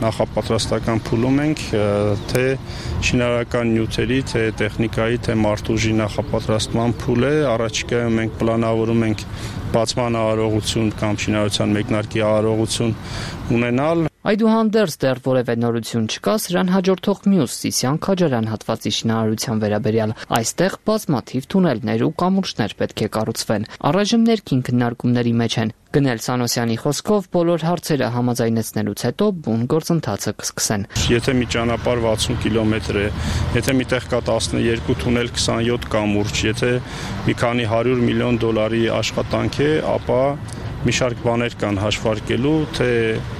նախապատրաստական փուլում ենք թե շինարարական նյութերի, թե տեխնիկայի, թե մարդուժի նախապատրաստման փուլ է։ Առաջիկայում մենք պլանավորում ենք բացման արարողություն կամ շինարարության մեկնարկի արարողություն ունենալ։ Այդուհանդերձ դեռ որևէ նորություն չկա սրան հաջորդող մյուս Սիսիան Քաջարյան հատվածի շինարարության վերաբերյալ։ Այստեղ բազմաթիվ թունելներ ու կամուրջներ պետք է կառուցվեն։ Առայժմ ներքին քննարկումների մեջ են։ Գնել Սանոսյանի խոսքով բոլոր հարցերը համաձայնեցնելուց հետո բուն գործընթացը կսկսեն։ Եթե մի ճանապարհ վաթսուն կիլոմետր է, եթե միտեղ կա տասներկու թունել քսանյոթ կամուրջ, եթե մի քանի հարյուր միլիոն դոլարի աշխատանք է, ապա մի շարք բաներ կան հաշվարկելու, թե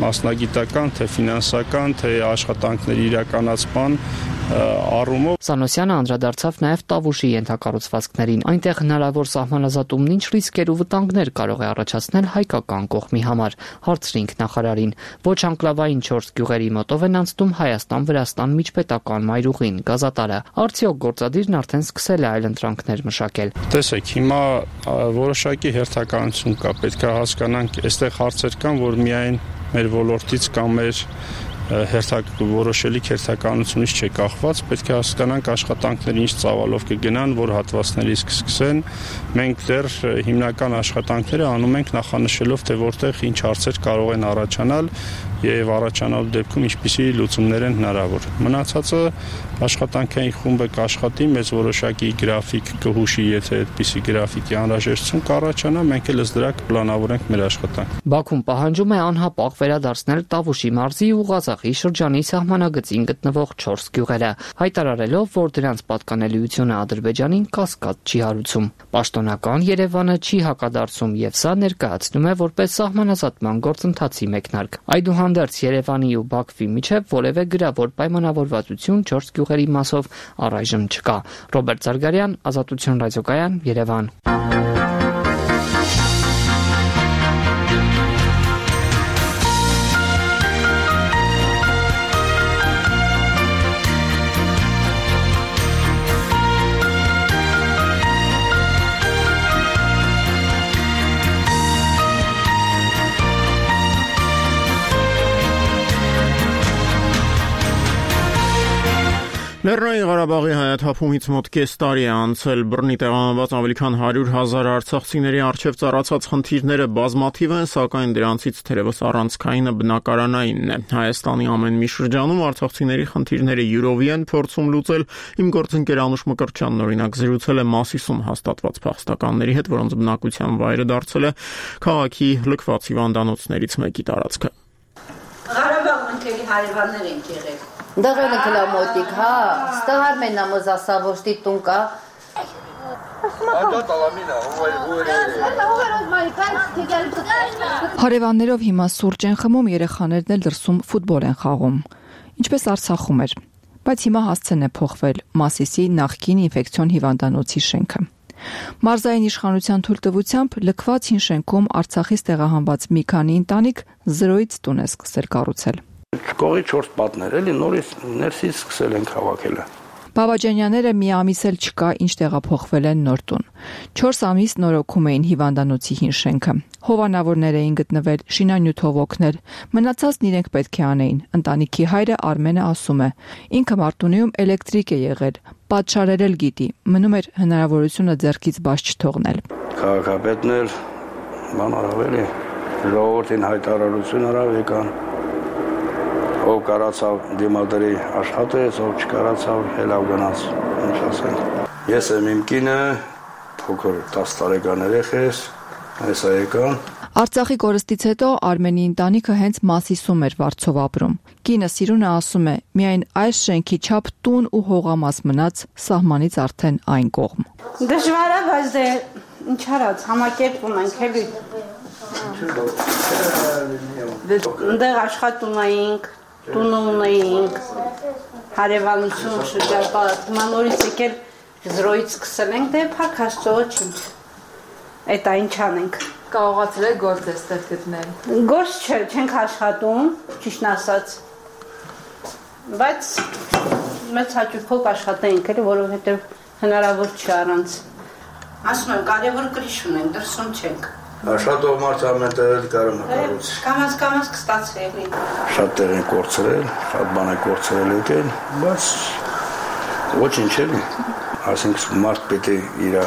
մասնագիտական, թե ֆինանսական, թե աշխատանքների իրականացման առումով։ Սանոսյանը անդրադարձավ նաև Տավուշի ենթակառուցվածքներին։ Այնտեղ հնարավոր սահմանազատումն ինչ ռիսկեր ու վտանգներ կարող է առաջացնել հայկական կողմի համար։ Հարցրինք նախարարին։ Ոչ անկլավային չորս գյուղերի մոտով են անցնում Հայաստան-Վրաստան միջպետական մայրուղին, գազատարը։ Արդյոք գործադիրն արդեն սկսել է այլընտրանքներ մշակել։ Տեսեք, հիմա որոշակի հերթականություն կա, պետք է հասկանանք, այստեղ հարցեր կան, որ միայն մեր ոլորտից կամ մեր հերթակ որոշելի հերթականությունից չէ կախված, պետք է հասկանանք աշխատանքները ինչ ծավալով կգնան, որ հատվածներից կսկսեն։ Մենք դեռ հիմնական աշխատանքները անում ենք նախանշելով, թե որտեղ ինչ հարցեր կարող են առաջանալ եւ առաջանալու դեպքում ինչպիսի լուծումներ են հնարավոր։ Մնացածը աշխատանքային խումբը կաշխատի, մեծ որոշակի գրաֆիկ կհուշի, եթե այդպիսի գրաֆիկի անհրաժեշտություն կառաջանա, մենք էլ ըստ դրա կպլանավորենք մեր աշխատանքը։ Բաքուն պահանջում է անհապաղ վերադարձնել Տավուշի մարզի ու Ղազախի շրջանի սահմանագծին գտնվող չորս գյուղերը, հայտարարելով, որ դրանց պատկանելիությունը Ադրբեջանին կասկած չի հարուցում։ Պաշտոնական Երևանը չի հակադարձում եւ սա ներկայացնում է որպես սահմանազատման գործընթացի մեկնարկ։ Այդուհանդերձ Երևանի ու Բաքվի միջև որևէ գրավոր պայմանավորվածություն չորս գյուղերի մասով առայժմ չկա։ Ռոբերտ Զարգարյան, Ազատություն ռադիոկայան, Երևան։ Լեռնային Ղարաբաղի հայաթափումից մոտ կես տարի է անցել, բռնի տեղանված ավելի քան հարյուր հազար արցախցիների առջև ծառացած խնդիրները բազմաթիվ են, սակայն դրանցից թերևս առանցքայինը բնակարանայինն է։ Հայաստանի ամեն մի շրջանում արցախցիների խնդիրները յուրովի են փորձում լուծել։ Իմ գործընկեր Անուշ Մկրտչյանն օրինակ զրուցել է Մասիսում հաստատված փախստականների հետ, որոնց բնակության վայրը դարձել է քաղաքի լքված հիվանդանոցներից մեկի տարածքը։ Ղարաբաղն ընկելի հարևաններ են եղել։ Դղել ենք լամոտիկ, հա, ստղար մենա մոզասավոշտի տունկա։ Հարևաններով հիմա սուրճ են խմում, երեխաներն էլ դրսում ֆուտբոլ են խաղում։ Ինչպես Արցախում էր, բայց հիմա հասցեն է փոխվել Մասիսի նախկին ինֆեկցիոն հիվանդանոցի շենքը։ Մարզային իշխանության թույլտվությամբ լքված հին շենքում Արցախից տեղահանված մի քանի ընտանիք զրոյից տուն է սկսել կառուցել։ Կողի չորս պատներ էլի նորից ներսից սկսել են հավաքելը։ Բաբաջանյաները մի ամիս էլ չկա ինչ տեղափոխվել են նոր տուն։ չորս ամիս նորոգում էին հիվանդանոցի հին շենքը։ Հովանավորներ էին գտնվել, շինանյութով օգնել։ Մնացածն իրենք պետք է անեին։ Ընտանիքի հայրը Արմենը ասում է. ինքը Մարտունիում էլեկտրիկ է եղել, պատշարել էլ գիտի, մնում էր հնարավորությունը ձեռքից բաց չթողնել։ Քաղաքապետն էլ բան արավ էլի, ժողովրդին հայտարարություն արավ եկան։ Ով կարացավ դիմադրի աշխատեց, ով չկարացավ հելավ գնաց, ինչ ասենք։ Ես եմ իմ կինը, փոքր տասը տարեկան երեխես, այս եկան։ Արցախի կորստից հետո Արմենի ընտանիքը հենց Մասիսում էր վարձով ապրում։ Կինը Սիրունը ասում է, միայն այս շենքի չափ տուն ու հողամաս մնաց սահմանից արդեն այն կողմ։ Դժվար է, բայց դե ինչ արած, համակերպում ենք էլի։ Դեռ աշխատում էինք, տուն ունեինք, հարևանություն շրջապատ, հիմա նորից եկել զրոյից սկսել ենք, դե փակ Աստծո ինչ, այդ այն չանենք։ Կարողացել եք գործ էստեղ գտնել։ Գործ չէ, չենք աշխատում, ճիշտն ասած, բայց մեծ հաճույքով աշխատենք, էլի, որովհետև հնարավոր չի առանց։ Ասում եմ, կարևոր կրիչ ունենք, դրսում չենք։ Աշխատող մարդ ամեն տեղ էլ կարող է կառուցել։ Կամաց կամաց կստացվի։ Շատ տեղ են կորցրել, շատ բան է կորցրել եկել, բայց ոչինչ էլի։ Այսինքն մարդ պետք է իր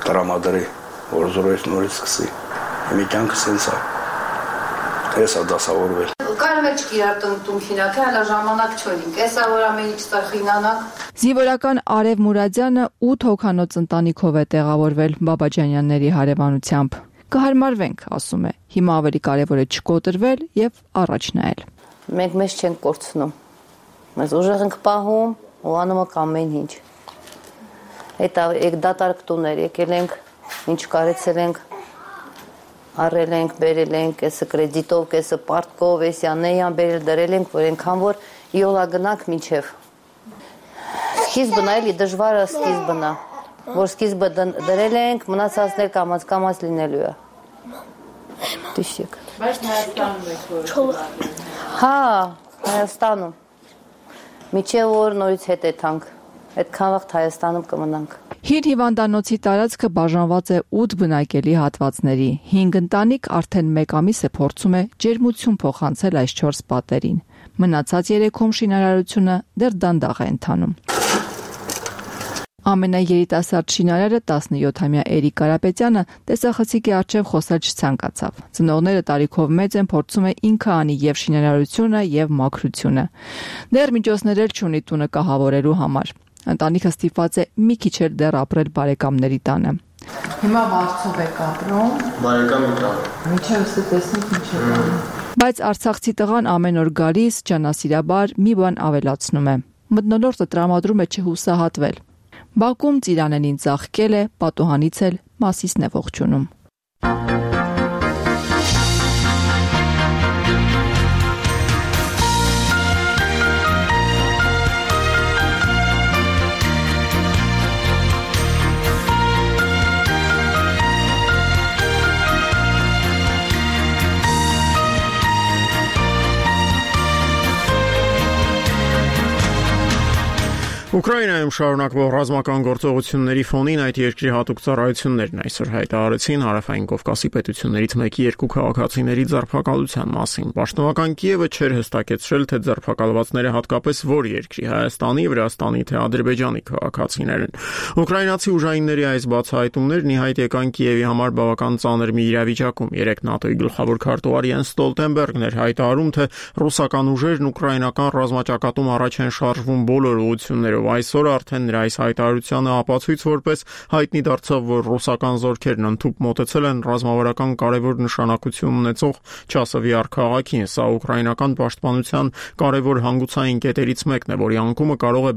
տրամադրի, որ զրոյից նորից սկսի։ Մի կյանքը սենց է։ Հեսա դասավորվել։ Կարող է չկիրար տնտունքինակ, հələ ժամանակ չորինք, էսա որ ամեն ինչ ծխինանակ։ Զինվորական Արև Մուրադյանը ութ հոգանոց ընտանիքով է տեղավորվել Բաբաջանյանների հարևանությամբ։ Կհարմարվենք, ասում է, հիմա ավելի կարևոր է չկոտրվել եւ առաջ նայել։ Մենք մեզ չենք կորցնում։ Մեզ ուժեղ ենք պահում ու անում ենք ամեն ինչ։ Այդ եկ դատարկ տուներ եկել ենք, ինչ կարեցել ենք, առել ենք, բերել ենք, կեսը կրեդիտով, կեսը պարտկով, էսյանեյան բերել դրել ենք, որ ենքան որ իոլա գնանք մինչև։ Սկիզբն այլի դժվարը սկիզբն է, որ սկիզբը դրել ենք, մնացածներ կամաց կամաց լինելու է։ Տիշեք։ Բայց Հայաստանում եք որ։ Հա, Հայաստանում։ Միջև որ նորից հետ եթանք, այդքան վաղ Հայաստանում կմնանք։ Հիր հիվանդանոցի տարածքը բաժանված է ութ բնակելի հատվածների։ հինգ ընտանիք արդեն մեկ ամիս է փորձում է ջերմություն փոխանցել այս չորս պատերին։ Մնացած երեքում շինարարությունը դեռ դանդաղ է ընթանում։ Ամենաերիտասարդ շինարարը տասնյոթամյա Էրիկ Կարապետյանը տեսախցիկի առջև խոսել չցանկացավ։ Ծնողները տարիքով մեծ են, փորձում է ինքը անի եւ շինարարությունը եւ մաքրությունը։ Դեռ միջոցներ էլ չունի տունը կահավորելու համար։ Ընտանիքը ստիպված է մի քիչ էլ դեռ ապրել բարեկամների տանը։ Հիմա Վարչով եք ապրում։ Բարեկամի տանը։ Միջև ստե տեսնենք ինչ է բանը։ Բայց արցախցի տղան ամեն օր գալիս ջանասիրաբար մի բան ավելացնում է։ Մթնոլորտը տրամադրում է չհուսահատվել։ Բաքում Ծիրանենին ծաղկել է, պատուհանից էլ Մասիսն է ողջունում։ Ուկրաինայում շարունակվող ռազմական գործողությունների ֆոնին այդ երկրի հատուկ ծառայություններն այսօր հայտարարեցին Հարավային Կովկասի պետություններից մեկի երկու քաղաքացիների ձերբակալության մասին։ Պաշտոնական Կիևը չէր հստակեցրել, թե ձերբակալվածները հատկապես որ երկրի՝ Հայաստանի, Վրաստանի թե Ադրբեջանի քաղաքացիներ են։ Ուկրաինացի ուժայինների այս բացահայտումներն ի հայտ եկան Կիևի համար բավական ծանր մի իրավիճակում։ Երեկ ՆԱՏՕ-ի գլխավոր քարտուղար Յենս Ստոլտենբերգն էր հայտարարում, թե ռուսական ուժերն ուկրաինական ռազմաճակատում առաջ են շարժվում բոլոր ուղղություններով։ Այսօր արդեն նրա այս հայտարարությանը ապացույց որպես հայտնի դարձավ, որ ռուսական զորքերն ընդհուպ մոտեցել են ռազմավարական կարևոր նշանակություն ունեցող Չասովյար քաղաքին։ Սա ուկրաինական պաշտպանության կարևոր հանգուցային կետերից մեկն է, որի անկումը կարող է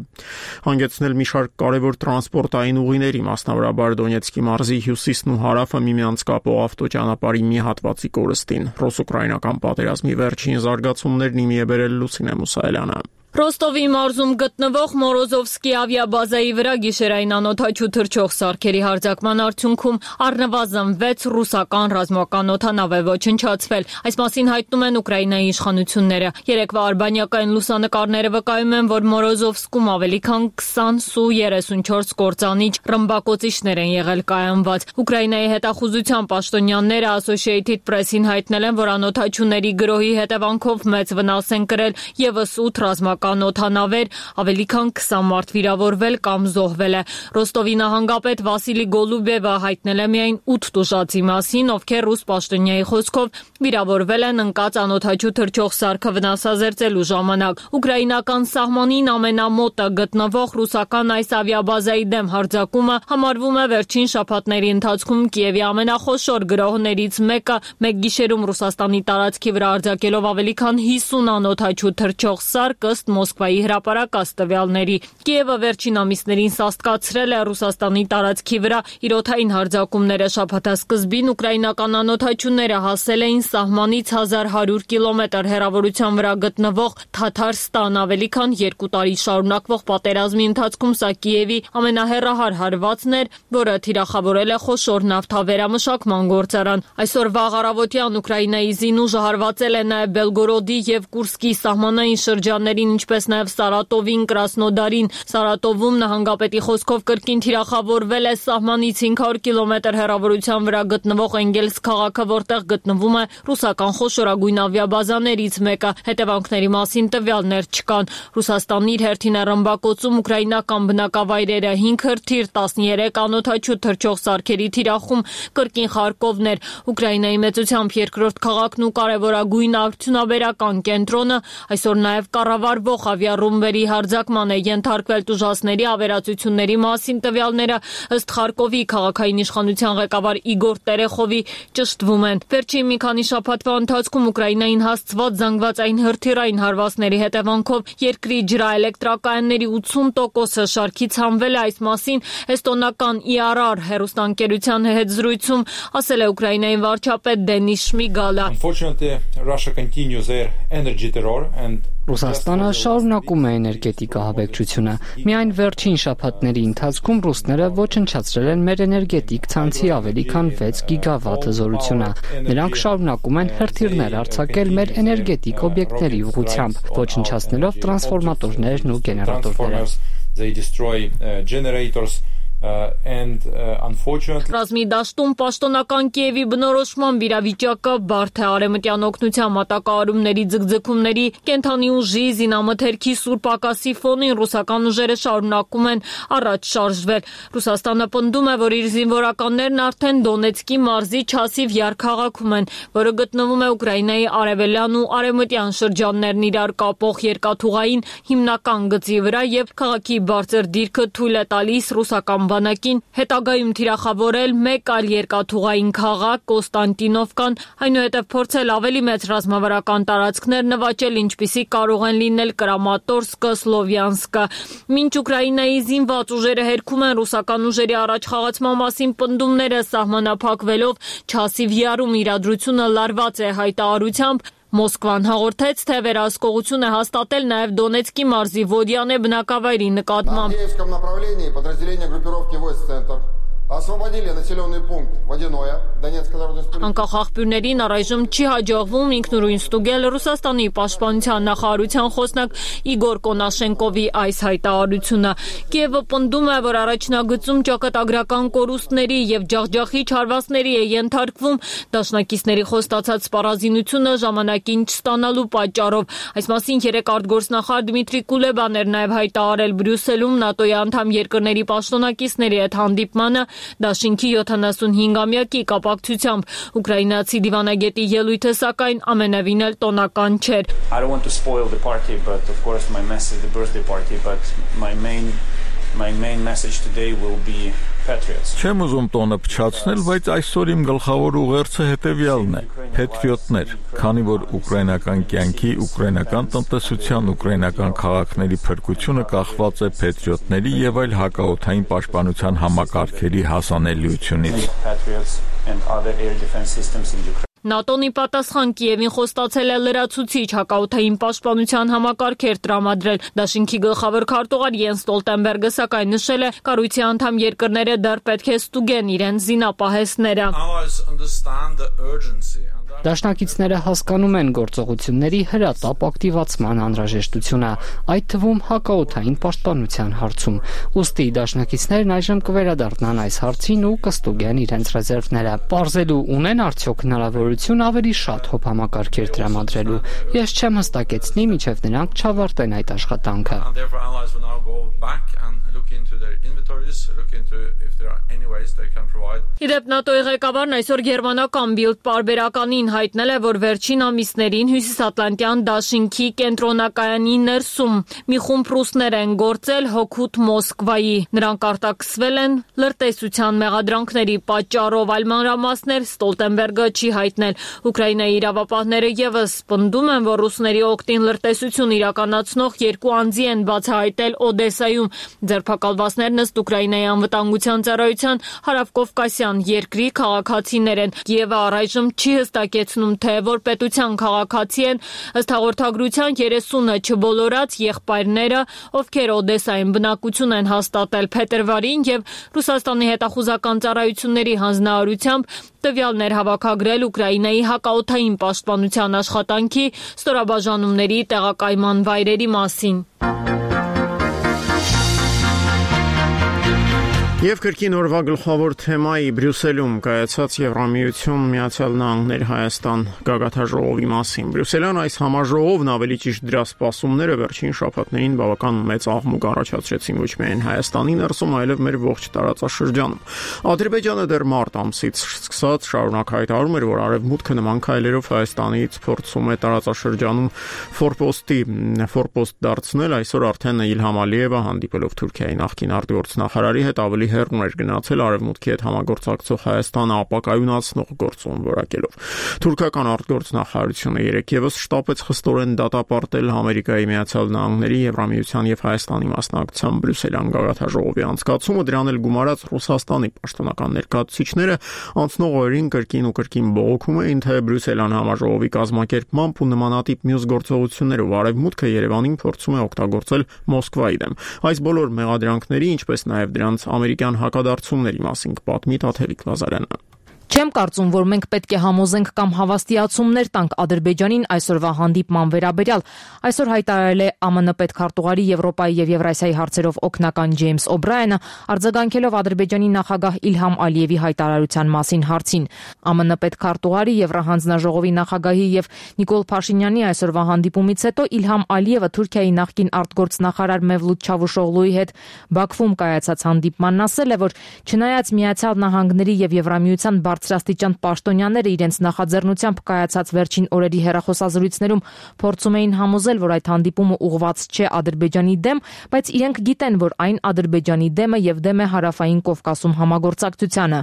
հանգեցնել մի շարք կարևոր տրանսպորտային ուղիների, մասնավորաբար Դոնեցկի մարզի հյուսիսն ու հարավը միմյանց կապող ավտոճանապարհի մի հատվածի կորստին։ Ռուս-ուկրաինական պատերազմի վերջին զարգացումներն իմի է բերել Լուսինե Մուսայելյանը։ Ռոստովի մարզում գտնվող Մորոզովսկի ավիաբազայի վրա գիշերային անօդաչու թռչող սարքերի հարձակման արդյունքում առնվազն վեց ռուսական ռազմական օդանավ է ոչնչացվել։ Այս մասին հայտնում են Ուկրաինայի իշխանությունները։ Երեկվա արբանյակային լուսանկարները վկայում են, որ Մորոզովսկում ավելի քան քսան Սու երեսունչորս կործանիչ ռմբակոծիչներ են եղել կայանված։ Ուկրաինայի հետախուզության պաշտոնյաները Associated Press-ին հայտնել են, որ անօդաչուների գրոհի հետևանքով մեծ վնաս են կրել ևս ութ ռազմական օդանավեր, ավելի քան քսան մարդ վիրավորվել կամ զոհվել է։ Ռոստովի նահանգապետ Վասիլի Գոլուբևը հայտնել է միայն ութ տուժածի մասին, ովքեր ռուս պաշտոնյայի խոսքով վիրավորվել են ընկած անօդաչու թռչող սարքը վնասազերծելու ժամանակ։ Ուկրաինական սահմանին ամենամոտը գտնվող ռուսական այս ավիաբազայի դեմ հարձակումը համարվում է վերջին շաբաթների ընթացքում Կիևի ամենախոշոր գրոհներից մեկը, մեկ գիշերում Ռուսաստանի տարածքի վրա արձակելով ավելի քան հիսուն անօդաչու թռչող սարք ըստ Մոսկվայի հրապարակած տվյալների։ Կիևը վերջին ամիսներին սաստկացրել է Ռուսաստանի տարածքի վրա իր օդային հարձակումները։ Շաբաթասկզբին ուկրաինական անօդաչուները հասել էին սահմանից հազար հարյուր կիլոմետր հեռավորության վրա գտնվող Թաթարստան։ Ավելի քան երկու տարի շարունակվող պատերազմի ընթացքում սա Կիևի ամենահեռահար հարվածն էր, որը թիրախավորել է խոշոր նավթավերամշակման գործարան։ Այսօր վաղ առավոտյան Ուկրաինայի զինուժը հարվածել է նաև Բելգորոդի եւ Կուրսկի սահմանային շրջաններին, ինչպես նաև Սարատովին, Կրասնոդարին։ Սարատովում նահանգապետի խոսքով կրկին թիրախավորվել է սահմանից հինգ հարյուր կիլոմետր հեռավորության վրա գտնվող Էնգելս քաղաքը, որտեղ գտնվում է ռուսական խոշորագույն ավիաբազաներից մեկը։ Հետևանքների մասին տվյալներ չկան։ Ռուսաստանն իր հերթին է ռմբակոծում ուկրաինական բնակավայրերը, հինգ հրթիռ, տասներեք անօդաչու թռչող սարքերի թիրախում, կրկին Խարկովներ։ Ուկրաինայի մեծությամբ երկրորդ քաղաքն ու կարևորագույն արդյունաբերական կենտրոնը այսօր նաև կառավարվող ավիառումբերի հարձակման է ենթարկվել տուժածների ավերածությունների մասին տվյալները ըստ Խարկովի քաղաքային իշխանության ղեկավար Իգոր Տերեխովի ճշտվում են։ Վերջին մի քանի շաբաթվա ընթացքում Ուկրաինային հասցված զանգվածային հրթիռային հարվածների հետևանքով երկրի ջրաէլեկտրակայանների ութսուն տոկոսը շարքից հանվել է։ Այս մասին էստոնական ի ար ար հեռուստաընկերության հետ զրույցում ասել է Ուկրաինայի վարչապետ Դենիս Շմիգալը։ Ռուսաստանը շարունակում է էներգետիկ ահաբեկչությունը։ Միայն վերջին շաբաթների ընթացքում ռուսները ոչնչացրել են մեր էներգետիկ ցանցի ավելի քան վեց գիգավատ հզորությունը։ Նրանք շարունակում են հրթիռներ արձակել մեր էներգետիկ օբյեկտների ուղղությամբ, ոչնչացնելով տրանսֆորմատորներն ու գեներատորները։ Uh, and uh, unfortunately Ռազմի դաշտում պաշտոնական Կիևի բնորոշման վիրավիճակը բարդ է արևմտյան օգնության մատակարարումների ձգձգումների կենթանի ուժի զինամթերքի սուր պակասի ֆոնին ռուսական ուժերը շարունակում են առաջ շարժվել։ Ռուսաստանը պնդում է, որ իր զինվորականներն արդեն Դոնեցկի մարզի Չասիվ քաղաքում են, որը գտնվում է Ուկրաինայի արևելյան ու արևմտյան շրջաններն իրար կապող երկաթուղային հիմնական գծի վրա եւ քաղաքի բարձր դիրքը թույլ է տալիս ռուսական բանակին հետագայում թիրախավորել մեկ այլ երկաթուղային քաղաք Կոստանտինովկան, այնուհետև փորձել ավելի մեծ ռազմավարական տարածքներ նվաճել, ինչպիսիք կարող են լինել Կրամատորսկը, Սլովյանսկը։ Մինչ Ուկրաինայի զինված ուժերը հերքում են ռուսական ուժերի առաջխաղացման մասին պնդումները սահմանափակվելով Չասիվ յարում իրադրությունը լարված է հայտարարությամբ, Մոսկվան հաղորդեց, թե վերահսկողություն է հաստատել նաև Դոնեցկի մարզի Վոդյանե բնակավայրի նկատմամբ։ Անկախ աղբյուրներին առայժմ չի հաջողվում ինքնուրույն ստուգել Ռուսաստանի պաշտպանության նախարարության խոսնակ Իգոր Կոնաշենկովի այս հայտարարությունը։ Կիևը պնդում է, որ առաջնագծում ճակատագրական կորուստների եւ ջախջախիչ հարվածների է ենթարկվում դաշնակիցների խոստացած սպառազինությունը ժամանակին չստանալու պատճառով։ Այս մասին երեկ արտգործնախարար Դմիտրի Կուլեբան էր նաև հայտարարել Բրյուսելում ՆԱՏՕ-ի անդամ երկրների պաշտոնակիցների հետ հանդիպմանը Դաշինքի յոթանասունհինգամյակի կապակցությամբ ուկրաինացի դիվանագետի ելույթը սակայն ամենևին էլ տոնական չէր։ I don't want to spoil the party, but of course my message, the birthday party, but my main my main message today will be patriots. Չեմ ուզում տոնը փչացնել, բայց այսօր իմ գլխավոր ուղերձը հետևյալն է. Պետրիոտներ, քանի որ ուկրաինական կյանքի, ուկրաինական տնտեսության, ուկրաինական քաղաքների փրկությունը կախված է պետրիոտների եւ այլ հակաօդային պաշտպանության համակարգերի հասանելիությունից։ ՆԱՏՕ-ն ի պատասխան Կիևին խոստացել է լրացուցիչ հակաօդային պաշտպանության համակարգեր տրամադրել։ Դաշինքի գլխավոր քարտուղար Յենս Ստոլտենբերգը սակայն նշել է, կառույցի անդամ երկրները դեռ պետք է ստուգեն իրենց զինապահեսները։ Դաշնակիցները հասկանում են գործողությունների հրատապ ակտիվացման անհրաժեշտությունը, այդ թվում հակաօդային պաշտպանության հարցում։ Ուստի դաշնակիցներն այժմ կվերադառնան այս հարցին ու կստուգեն իրենց ռեզերվները։ Պարզելու ունեն արդյոք հնարավորություն ավելի շատ հոբ համակարգեր տրամադրելու։ Ես չեմ հստակեցնի, մինչև նրանք չավարտեն այդ աշխատանքը։ Իդեպ ՆԱՏՕ-ի ղեկավարն այսօր գերմանական Բիլդ պարբերականին հայտնել է, որ վերջին ամիսներին Հյուսիսատլանտյան դաշինքի կենտրոնակայանի ներսում մի խումբ ռուսներ են գործել հօգուտ Մոսկվայի։ Նրանք արտաքսվել են լրտեսության մեղադրանքների պատճառով, այլ մանրամասներ Ստոլտենբերգը չի հայտնել։ Ուկրաինայի իրավապահները եւս պնդում են, որ ռուսների օգտին լրտեսություն իրականացնող երկու անձի են բացահայտել Օդեսայում։ Ձերբակալված Զոհվածներն ըստ Ուկրաինայի անվտանգության ծառայության հարավկովկասյան երկրի քաղաքացիներ են։ Կիևը առայժմ չի հստակեցնում, թե որ պետության քաղաքացի են, ըստ հաղորդագրության երեսունը չբոլորած եղբայրները, ովքեր Օդեսայում բնակություն են հաստատել փետրվարին եւ Ռուսաստանի հետախուզական ծառայությունների հանձնարարությամբ տվյալներ հավաքագրել Ուկրաինայի հակաօդային պաշտպանության աշխատանքի ստորաբաժանումների տեղակայման վայրերի մասին։ Եվ կրկին օրվա գլխավոր թեմայի Բրյուսելում կայացած Եվրամիություն Միացյալ Նահանգներ Հայաստան գագաթաժողովի մասին։ Բրյուսելյան այս համաժողովն ավելի ճիշտ դրա սպասումները վերջին շաբաթներին բավական մեծ աղմուկ առաջացրեցին ոչ միայն Հայաստանի ներսում, այլև մեր ողջ տարածաշրջանում։ Ադրբեջանը դեռ մարտ ամսից սկսած շարունակ հայտարարում էր, որ արևմուտքը նման քայլերով Հայաստանից փորձում է տարածաշրջանում ֆորպոստի ֆորպոստ դարձնել։ Այսօր արդեն Իլհամ Ալիևը հանդիպելով Թուրքիայի նախկին արտգործնախարարի հետ ավելի հեռուն էր գնացել արևմուտքի հետ համագործակցող Հայաստանը ապակայունացնող գործում որակելով։ Թուրքական արտգործնախարարությունը երեքևս շտապեց խստորեն դատապարտել Ամերիկայի Միացյալ Նահանգների, Եվրամիության եւ Հայաստանի մասնակցությամբ Բրյուսելյան գագաթաժողովի անցկացումը, դրան էլ գումարած Ռուսաստանի պաշտոնական ներկայացուցիչները անցնող օրերին կրկին ու կրկին բողոքում էին, թե Բրյուսելյան համաժողովի կազմակերպմամբ ու նմանատիպ մյուս գործողություններով արևմուտքը Երևանին փորձում է օգտագործել Մոսկվայի դեմ։ Այս բոլոր մեղադրանքների, ինչպես նաեւ դրանց ամերիկյան հակադարձումների մասին կպատմի Տաթևիկ Ղազարյանը։ Չեմ կարծում, որ մենք պետք է համոզենք կամ հավաստիացումներ տանք Ադրբեջանին այսօրվա հանդիպման վերաբերյալ։ Այսօր հայտարարել է ԱՄՆ պետքարտուղարի Եվրոպայի եւ Եվրասիայի հարցերով օգնական Ջեյմս Օբրայենը, արձագանքելով Ադրբեջանի նախագահ Իլհամ Ալիևի հայտարարության մասին հարցին։ ԱՄՆ պետքարտուղարի Եվրահանձնաժողովի նախագահի եւ Նիկոլ Փաշինյանի այսօրվա հանդիպումից հետո Իլհամ Ալիևը Թուրքիայի նախկին արտգործնախարար Մևլութ Չավուշօղլուի հետ Բաքվում կայացած հանդիպմանն ասել է, որ չնայած Միացյալ Նահանգների եւ Եվրամիության բարձրաստիճան պաշտոնյաները իրենց նախաձեռնությամբ կայացած վերջին օրերի հեռախոսազրույցներում փորձում էին համոզել, որ այդ հանդիպումը ուղղված չէ Ադրբեջանի դեմ, բայց իրենք գիտեն, որ այն Ադրբեջանի դեմ է եւ դեմ է Հարավային Կովկասում համագործակցությանը։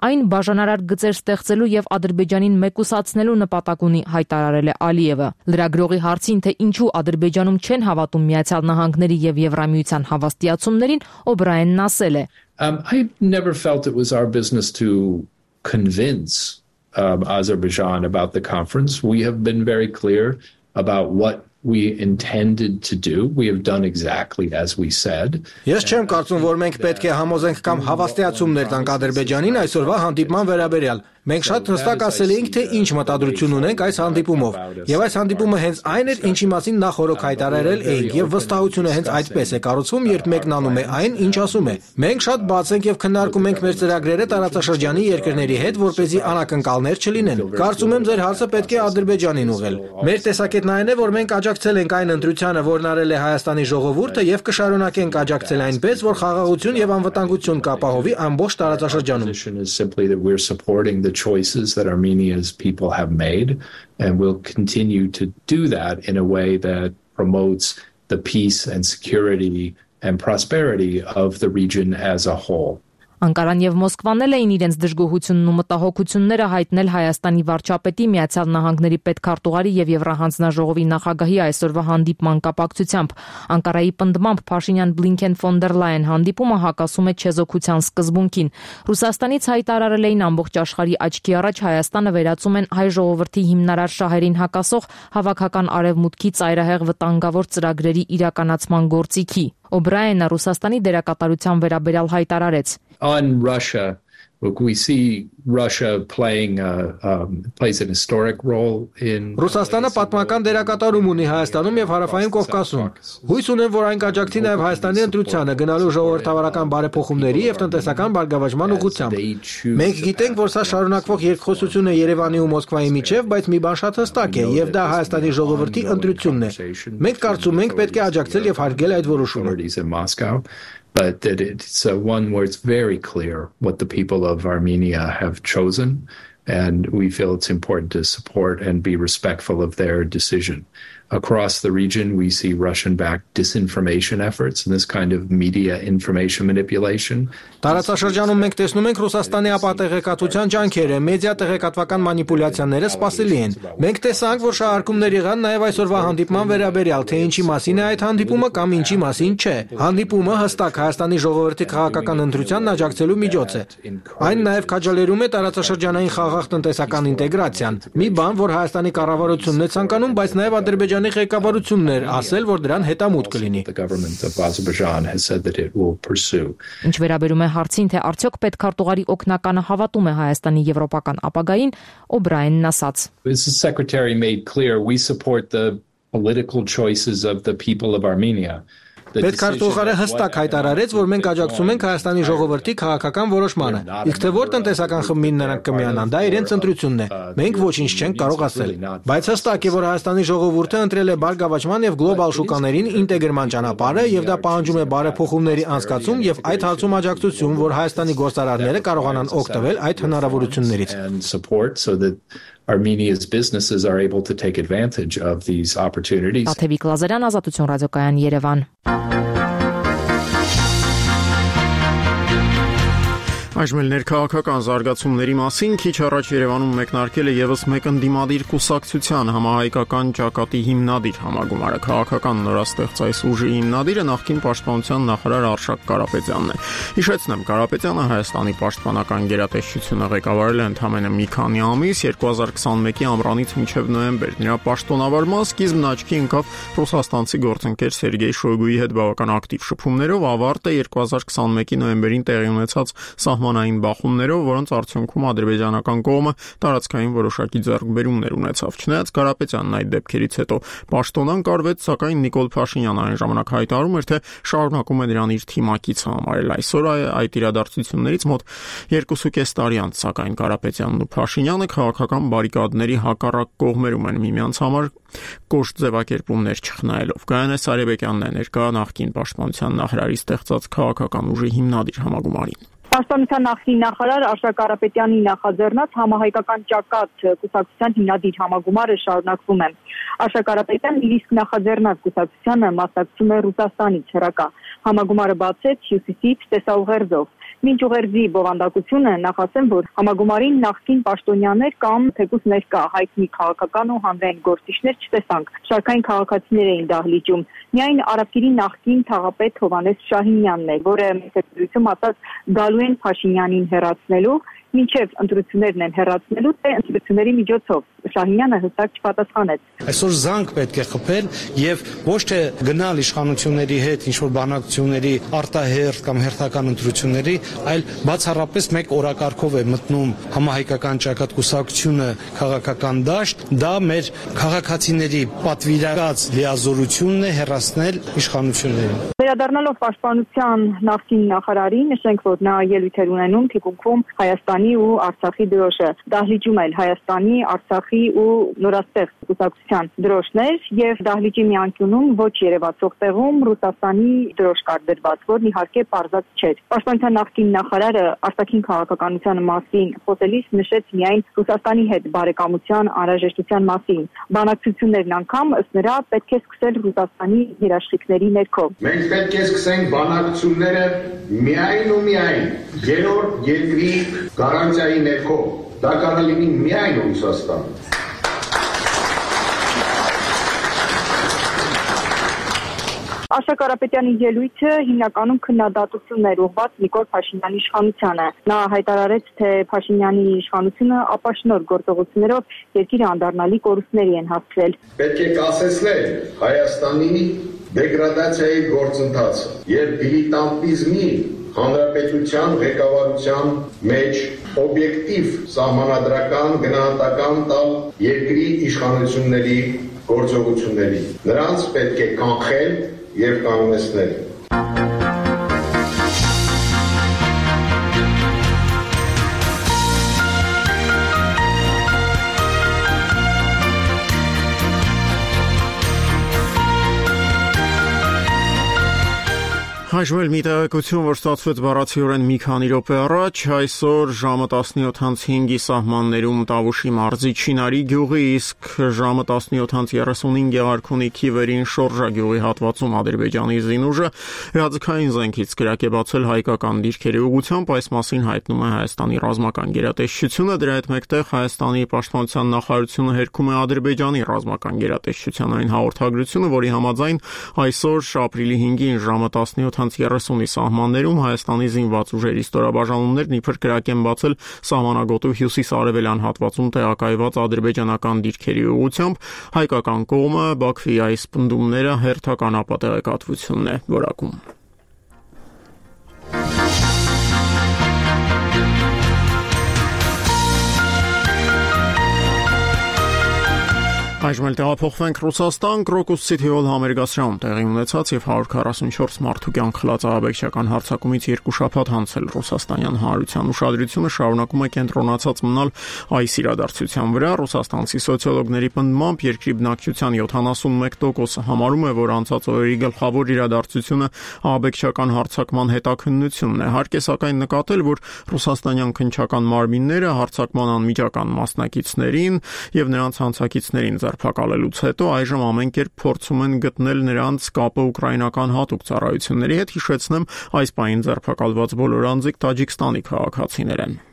Այն բաժանարար գծեր ստեղծելու եւ Ադրբեջանին մեկուսացնելու նպատակ ունի, հայտարարել է Ալիևը։ Լրագրողի հարցին, թե ինչու Ադրբեջանում չեն հավատում Միացյալ Նահանգների եւ Եվրամիության հավաստիացումներին, Օբրայենն ասել է. Um, I never felt it was our business to convince um, Azerbaijan about the conference. We have been very clear about what we intended to do. We have done exactly as we said. Ես չեմ կարծում, որ մենք պետք է համոզենք կամ հավաստիացումներ տանք Ադրբեջանին այսօրվա հանդիպման վերաբերյալ։ Մենք շատ հստակ ասել էինք, թե ինչ մտադրություն ունենք այս հանդիպումով, եւ այս հանդիպումը հենց այն էր, ինչի մասին նախորդ հայտարարել էինք, եւ վստահությունը հենց այդպես է կառուցվում, երբ մեկնանում է այն, ինչ ասում է։ Մենք շատ բաց ենք եւ քննարկում ենք մեր ծրագրերը տարածաշրջանի երկրների հետ, որպեսզի անակնկալներ չլինեն։ Կարծում եմ, ձեր հարցը պետք է Ադրբեջանին ուղղել։ Մեր տեսակետն այն է, որ մենք աջակցել ենք այն ընտրությանը, որն արել է Հայաստանի ժողովուրդը, եւ կշարունակենք աջակցել այնպես, որ խաղաղություն եւ անվտանգություն կապահովի ամբողջ տարածաշրջանում։ Choices that Armenia's people have made, and will continue to do that in a way that promotes the peace and security and prosperity of the region as a whole. Անկարան եւ Մոսկվան էին իրենց դժգոհությունն ու մտահոգությունները հայտնել Հայաստանի վարչապետի, Միացյալ Նահանգների պետքարտուղարի եւ Եվրահանձնաժողովի նախագահի այսօրվա հանդիպման կապակցությամբ։ Անկարայի պնդմամբ Փաշինյան-Բլինքեն ֆոն դեր Լայեն հանդիպումը հակասում է չեզոքության սկզբունքին։ Ռուսաստանից հայտարարել էին ամբողջ աշխարհի աչքի առաջ Հայաստանը վերածում են հայ ժողովրդի հիմնարար շահերին հակասող հավաքական արևմուտքի ծայրահեղ վտանգավոր ծրագրերի իրականացման գործիքի։ Օբրայենը Ռուսաստանի դերակատարության վերաբերյալ հայտարարեց. On Russia, look, we see Russia playing a, um, plays an historic role in Ռուսաստանը պատմական դերակատարում ունի Հայաստանում եւ Հարավային Կովկասում։ Հույս ունեմ, որ այն կաջակցի նաեւ Հայաստանի ընտրությանը գնալու ժողովրդավարական բարեփոխումների եւ տնտեսական բարգավաճման ուղղությամբ։ Մենք գիտենք, որ սա շարունակվող երկխոսություն է Երևանի ու Մոսկվայի միջև, բայց մի բան շատ հստակ է, եւ դա Հայաստանի ժողովրդի ընտրությունն է։ Մենք կարծում ենք պետք է աջակցել եւ հարգել այդ որոշումը։ But that it's uh, one where it's very clear what the people of Armenia have chosen, and we feel it's important to support and be respectful of their decision. Across the region, we see Russian-backed disinformation efforts and this kind of media information manipulation. Տարածաշրջանում մենք տեսնում ենք Ռուսաստանի ապատեղեկատվության ջանքերը, մեդիա տեղեկատվական մանիպուլյացիաները սպասելի են։ Մենք տեսանք, որ շահարկումներ եղան նաև այսօրվա հանդիպման վերաբերյալ, թե ինչի մասին է այդ հանդիպումը կամ ինչի մասին չէ։ Հանդիպումը հստակ Հայաստանի ժողովրդի քաղաքական ընտրությանն աջակցելու միջոց է։ Այն նաև քաջալերում է տարածաշրջանային խաղաղ տնտեսական ինտեգրացիան։ Մի բան, որ Հայաստանի կառավարությունն է ցանկանում, բայց նաև Ադրբեջանի ղեկավարությունն էր ասել, որ դրան հետամուտ կլինի։ Ինչ վերաբերում է հարցին, թե արդյոք պետքարտուղարի օգնականը հավատում է Հայաստանի եվրոպական ապագային, Օբրայենն ասաց. This secretary made clear we support the political choices of the people of Armenia. Պետքարտուղարը հստակ հայտարարեց, որ մենք աջակցում ենք Հայաստանի ժողովրդի քաղաքական որոշմանը։ Իսկ թե որ տնտեսական խմբին նրանք կմիանան, դա իրենց ընտրությունն է։ Մենք ոչինչ չենք կարող ասել։ Բայց հստակ է, որ Հայաստանի ժողովուրդը ընտրել է բարգավաճման եւ գլոբալ շուկաներին ինտեգրման ճանապարհը եւ դա պահանջում է բարեփոխումների անցկացում եւ այդ հարցում աջակցություն, որ Հայաստանի գործարարները կարողանան օգտվել այդ հնարավորություններից։ Armenia's businesses are able to take advantage of these opportunities. Աթևիկ Լազարյան, Ազատություն ռադիոկայան, Երևան։ Այժմ էլ ներքաղաքական զարգացումների մասին քիչ առաջ Երևանում մեկնարկել է եւս մեկ ընդդիմադիր կուսակցության համահայկական ճակատի հիմնադիր համագումարը։ Քաղաքական նորաստեղծ այս ուժի հիմնադիրը նախկին պաշտպանության նախարար Արշակ Կարապետյանն է։ Հիշեցնեմ, Կարապետյանը Հայաստանի պաշտպանական գերատեսչությունը ղեկավարել է ընդամենը մի քանի ամիս, երկու հազար քսանմեկի ամռանից մինչև նոյեմբեր։ Նրա պաշտոնավարման սկիզբն աչքի ընկավ ռուսաստանցի գործընկեր Սերգեյ Շոյգուի հետ բավական ակտիվ շփումներով, ավարտը երկու հազար քսանմեկի նոյեմբերին տեղի ունեցած սահմանային բախումներով, որոնց արդյունքում ադրբեջանական կողմը տարածքային որոշակի ձեռքբերումներ ունեցավ։ Չնայած Կարապետյանն այդ դեպքերից հետո պաշտոնան կարվեց, սակայն Նիկոլ Փաշինյանը այն ժամանակ հայտարարում էր, թե շարունակում է նրան իր թիմակիցը համարել։ Այսօր այդ իրադարձություններից մոտ երկուսուկես տարի անց, սակայն Կարապետյանն ու Փաշինյանը քաղաքական բարիկադների հակառակ կողմերում են միմյանց համար կոշտ ձևակերպումներ չխնայելով։ Գայանե Սարեբեկյանն է ներկա նախկին պաշտպանության նախարարի ստեղծած քաղաքական ուժի հիմնադիր համագումարին։ Պաշտպանության նախկին նախարար Արշակ Կարապետյանի նախաձեռնած համահայկական ճակատ կուսակցության հիմնադիր համագումարը շարունակվում է։ Արշակ Կարապետյանն իր իսկ նախաձեռնած կուսակցությանը մասնակցում է Ռուսաստանից հեռակա։ Համագումարը բացեց Հյուսիսից տեսաուղերձով։ Մինչ ուղերձի բովանդակությունը նախասեմ, որ համագումարին նախկին պաշտոնյաներ կամ թեկուզ ներկա հայտնի քաղաքական ու հանրային գործիչներ չտեսանք։ Շարքային քաղաքացիներ էին դահլիճում։ Միայն Արաբկիրի նախկին թաղապետ Հովհաննես Շահինյանն է, որը մեծություն ասած գալու են Փաշինյանին հեռացնելու, մինչև ընտրություններն են հեռացնելու, թե ընտրությունների միջոցով։ Շահինյանը հստակ չպատասխանեց։ Այսօր զանգ պետք է խփել եւ ոչ թե գնալ իշխանությունների հետ ինչ-որ բանակցությունների արտահերթ կամ հերթական ընտրությունների, այլ բացառապես մեկ օրակարգով է մտնում համահայկական ճակատ կուսակցությունը քաղաքական դաշտ, դա մեր քաղաքացիների պատվիրակած լիազորությունն է հեռացնել իշխանություններին։ Վերադառնալով պաշտպանության նախկին նախարարին, նշենք, որ նա ելույթեր ունենում թիկունքում Հայաստանի ու Արցախի դրոշը, դահլիճում էլ Հայաստանի, Արցախի ու նորաստեղծ կուսակցության դրոշներ եւ դահլիճի մի անկյունում ոչ երևացող տեղում Ռուսաստանի դրոշ կար դրված, որն իհարկե պարզած չէր։ Պաշտպանության նախկին նախարարը արտաքին քաղաքականության մասին խոսելիս նշեց միայն Ռուսաստանի հետ բարեկամության անհրաժեշտության մասին։ Բանակցություններն անգամ ըստ նրա պետք է սկսել Ռուսաստանի երաշխիքների ներքո։ Մենք պետք է սկսենք բանակցությունները միայն ու միայն երրորդ երկրի գարանտիայի ներքո։ Դա կարող է լինի միայն Ռուսաստանը։ Արշակ Կարապետյանի ելույթը հիմնականում քննադատությունն էր ուղղված Նիկոլ Փաշինյանի իշխանությանը։ Նա հայտարարեց, թե Փաշինյանի իշխանությունը ապաշնոր գործողություններով երկիրը անդառնալի կորուստների են հասցրել։ Պետք է կասեցնել Հայաստանի դեգրադացիայի գործընթացը եւ դիլիտանտիզմի հանրապետության ղեկավարության մեջ օբյեկտիվ սահմանադրական գնահատական տալ երկրի իշխանությունների գործողությունների։ Նրանց պետք է կանխել եւ կանոնեցնել։ Հաշվել մի տեղեկություն, որ ստացվեց բառացիորեն մի քանի րոպե առաջ, այսօր ժամը տասնյոթ անց հինգի սահմաններում Տավուշի մարզի Չինարի գյուղի, իսկ ժամը տասնյոթ անց երեսունհինգ Գեղարքունի Քիվերին Շորժա գյուղի հատվածում Ադրբեջանի զինուժը հրաձգային զենքից կրակ է բացել հայկական դիրքերի ուղղությամբ, այս մասին հայտնում է Հայաստանի ռազմական գերատեսչությունը, դրա հետ մեկտեղ Հայաստանի պաշտպանության նախարարությունը հերքում է Ադրբեջանի ռազմական գերատեսչության այն հաղորդագրությունը, որի համաձայն այսօր ապրիլի հինգին ժամը տասնյոթ անց երեսունի սահմաններում Հայաստանի զինված ուժերի ստորաբաժանումներն իբր կրակ են բացել սահմանագոտու հյուսիս-արևելյան հատվածում տեղակայված ադրբեջանական դիրքերի ուղղությամբ, հայկական կողմը Բաքվի այս պնդումները հերթական ապատեղեկատվությունն է որակում։ Այժմ էլ տեղափոխվենք Ռուսաստան, Կրոկուս Սիթի-հոլ համերգասրահում տեղի ունեցած եւ հարյուր քառասունչորս մարդու կյանք խլած ահաբեկչական հարձակումից երկու շաբաթ անց էլ ռուսաստանյան հանրության ուշադրությունը շարունակում է կենտրոնացած մնալ այս իրադարձության վրա։ Ռուսաստանցի սոցիոլոգների պնդմամբ երկրի բնակչության յոթանասունմեկ տոկոսը համարում է, որ անցած օրերի գլխավոր իրադարձությունը ահաբեկչական հարձակման հետաքննությունն է։ Հարկ է սակայն նկատել, որ ռուսաստանյան քննչական մարմինները հարձակման անմիջական մասնակիցներին եւ նրանց հանցակիցներին ձերբակալելուց հետո այժմ ամեն կերպ փորձում են գտնել նրանց կապը ուկրաինական հատուկ ծառայությունների հետ, հիշեցնեմ, այս պահին ձերբակալված բոլոր անձիկ Տաջիկստանի քաղաքացիներ են։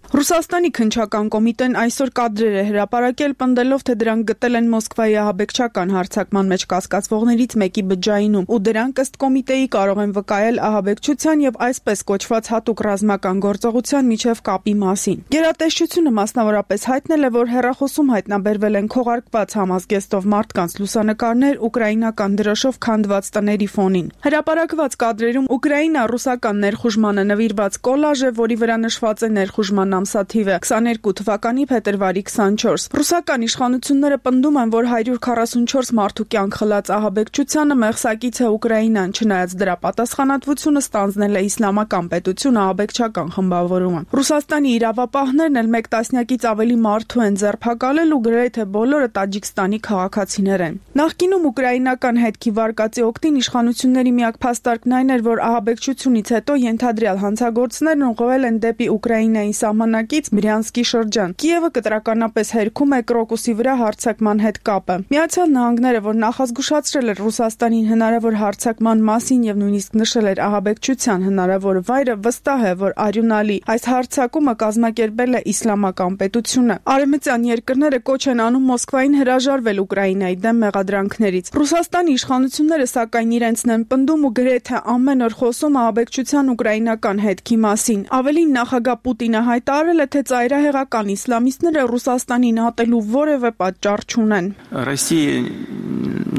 Ռուսաստանի քննչական կոմիտեն այսօր կադրեր է հրապարակել, պնդելով, թե դրանք գտել են Մոսկվայի ահաբեկչական հարձակման մեջ կասկածվողներից մեկի բջջայինում, ու դրանք ըստ կոմիտեի կարող են վկայել ահաբեկչության եւ այսպես կոչված հատուկ ռազմական գործողության միջև կապի մասին։ Գերատեսչությունը մասնավորապես հայտնել է, որ հեռախոսում հայտնաբերվել են քողարկված համազգեստով մարդկանց լուսանկարներ ուկրաինական դրոշով քանդված տների ֆոնին։ Հրապարակված կադրերում ուկրաինա-ռուսական ներխուժմանը նվիրված կոլաժ է, որի վրա նշված է ներխուժման ամսաթիվը քսաներկու թվականի փետրվարի քսանչորս։ Ռուսական իշխանությունները պնդում են, որ հարյուր քառասունչորս մարդու կյանք խլած ահաբեկչությանը մեղսակից է Ուկրաինան, չնայած դրա պատասխանատվությունը ստանձնել է իսլամական պետություն ահաբեկչական խմբավորումը։ Ռուսաստանի իրավապահներն էլ մեկ տասնյակից ավելի մարդու են ձերբակալել ու գրեթե բոլորը Տաջիկստանի քաղաքացիներ են։ Նախկինում ուկրաինական հետքի վարկածի օգտին իշխանությունների միակ փաստարկն այն էր, որ ահաբեկչությունից հետո ենթադրյալ հանցագործներն ուղղվել են դեպի Ուկրաինայի սահմանակից Բրյանսկի շրջան։ Կիևը կտրականապես հերքում է Կրոկուսի վրա հարձակման հետ կապը։ Միացյալ Նահանգները, որ նախազգուշացրել էր Ռուսաստանին հնարավոր հարձակման մասին եւ նույնիսկ նշել էր ահաբեկչության հնարավոր վայրը, վստահ է, որ արյունալի այս հարձակումը կազմակերպել է իսլամական պետությունը։ Արևմտյան երկրները կոչ են անում Մոսկվային հրաժարվել Ուկրաինայի դեմ մեղադրանքներից։ Ռուսաստանի իշխանությունները սակայն իրենցն են պնդում ու գրեթե ամեն օր խոսում ահաբեկչության ուկրաինական հետքի մասին։ Ավելին, նախագահ Պուտինը հայտարարել է, թե ծայրահեղական իսլամիստները Ռուսաստանին ատելու որևէ պատճառ չունեն։ Россия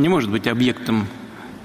не может быть объектом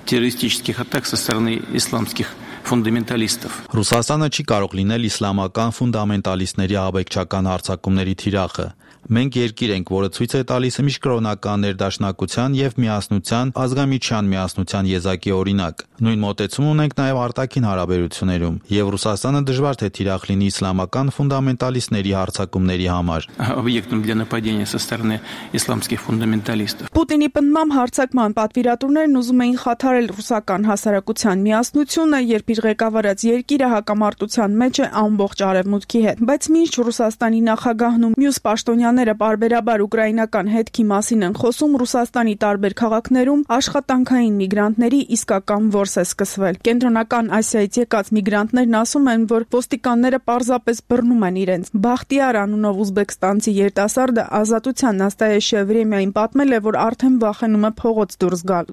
террористических атак со стороны исламских ֆունդամենտալիստов։ Ռուսաստանը չի կարող լինել իսլամական ֆունդամենտալիստների ահաբեկչական հարձակումների թիրախը։ Մենք երկիր ենք, որը ցույց է տալիս միջկրոնական ներդաշնակության եւ միասնության, ազգամիջյան միասնության եզակի օրինակ։ Նույն մոտեցում ունենք նաեւ արտաքին հարաբերություններում, եւ Ռուսաստանը դժվար թե թիրախ լինի իսլամական ֆունդամենտալիստների հարձակումների համար։ Объектом для нападения со стороны исламских фундаменталистов։ Պուտինի պնդմամբ հարձակման պատվիրատուներն ուզում էին խաթարել ռուսական հասարակության միասնությունը, երբ իր ղեկավարած երկիրը հակամարտության մեջ է ամբողջ արևմուտքի հետ։ Բայց մինչ Ռուսաստանի նախագահն ու մյուս պաշտոնյաները բարբերաբար ուկրաինական հետքի մասին են խոսում, Ռուսաստանի տարբեր քաղաքներում աշխատանքային միգրանտների իսկական որս է սկսվել։ Կենտրոնական Ասիայից եկած միգրանտներն ասում են, որ ոստիկանները պարզապես բռնում են իրենց։ Բախտիար անունով ուզբեկստանցի երիտասարդը Ազատության Նաստայեշե Վրեմիային պատմել է, որ արդեն վախենում է փողոց դուրս գալ։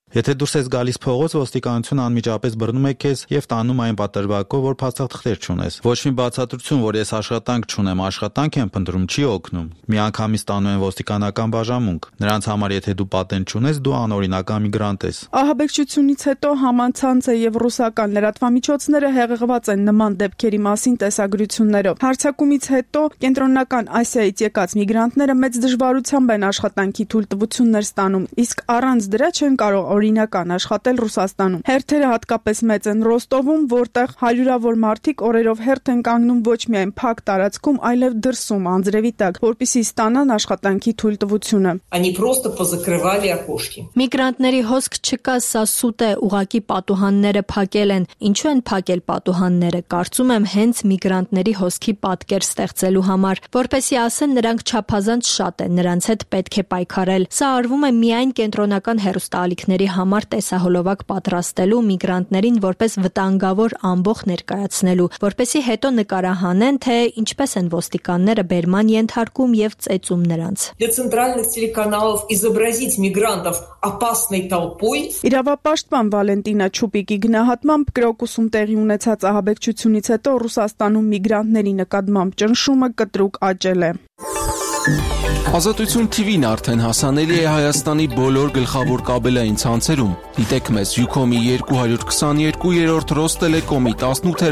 Եթե դուրս ես գալիս փողոց, ոստիկանությունը անմիջապես բռնում է քեզ եւ տանում այն պատրվակով, որ փաստաթղթեր չունես։ Ոչ մի բացատրություն, որ ես աշխատանք չունեմ, աշխատանք եմ փնտրում, չի օգնում։ Միանգամից տանում են ոստիկանական բաժանմունք։ Նրանց համար եթե դու պատենտ չունես, դու անօրինական միգրանտ ես։ Ահաբեկչությունից հետո համացանցը եւ ռուսական լրատվամիջոցները հեղեղված են նման դեպքերի մասին տեսագրություններով։ Հարձակումից հետո Կենտրոնական Ասիայից եկած միգրանտները մեծ դժվարությամբ են աշխատանքի թույլտվություններ ստանում, իսկ առանց դրա չեն կարող օրինական աշխատել Ռուսաստանում։ Հերթերը հատկապես մեծ են Ռոստովում, որտեղ հարյուրավոր մարդիկ օրերով հերթ են կանգնում ոչ միայն փակ տարածքում, այլև դրսում անձրևի անձրևի տակ, որպեսզի ստանան աշխատանքի թույլտվությունը։ Они просто позакрывали окошки. Միգրանտների հոսք չկա, սա սուտ է, ուղակի պատուհանները փակել են։ Ինչու են փակել պատուհանները։ Կարծում եմ հենց միգրանտների հոսքի պատկեր ստեղծելու համար, որպեսզի ասեն նրանք չափազանց շատ են, նրանց հետ պետք է պայքարել։ Սա արվում է միայն կենտրոնական հեռուստաալիքների համար տեսահոլովակ պատրաստելու, միգրանտներին որպես վտանգավոր ամբոխ ներկայացնելու, որպեսզի հետո նկարահանեն, թե ինչպես են ոստիկանները բերման ենթարկում եւ ծեծում նրանց։ Для центральных телеканалов изобразить мигрантов опасной толпой. Իրավապաշտպան Վալենտինա Չուպիկի գնահատմամբ Կրոկուսում տեղի ունեցած ահաբեկչությունից հետո Ռուսաստանում միգրանտների նկատմամբ ճնշումը կտրուկ աճել է։ Ազատություն T V-ն արդեն հասանելի է Հայաստանի բոլոր գլխավոր կաբելային ցանցերում։ Դիտեք մեզ Յուքոմի երկու քսաներկու, Ռոստելեկոմի տասնութ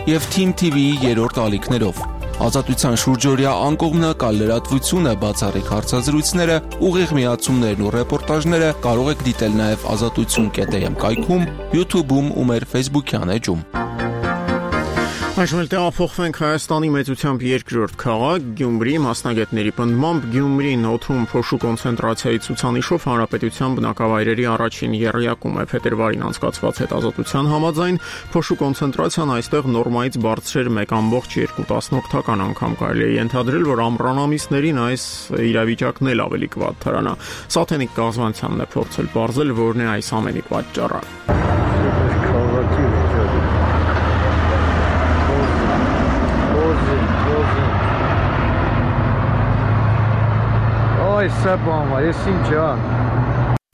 եւ Team T V-ի երրորդ ալիքներով։ Ազատության շուրջօրյա անկողմնակալ լրատվությունը, բացառիկ հարցազրույցները, ուղիղ միացումներն ու ռեպորտաժները կարող եք դիտել նաև ազատություն կետ am կայքում, YouTube-ում ու մեր Facebook-յան էջում։ Այժմ էլ տեղափոխվենք Հայաստանի մեծությամբ երկրորդ քաղաք Գյումրի, մասնագետների պնդմամբ Գյումրին օդում փոշու կոնցենտրացիայի ցուցանիշով հանրապետության բնակավայրերի առաջին եռյակում է փետրվարին անցկացված հետազոտության համաձայն փոշու կոնցենտրացիան այստեղ նորմայից բարձր էր մեկ կόμma երկու անգամ, կարելի է ենթադրել, որ ամռան ամիսներին այս իրավիճակն էլ ավելի կվատթարանա։ Սաթենիկ Կազմանյանն է փորձել պարզել, որն է այս ամենի պատճառը։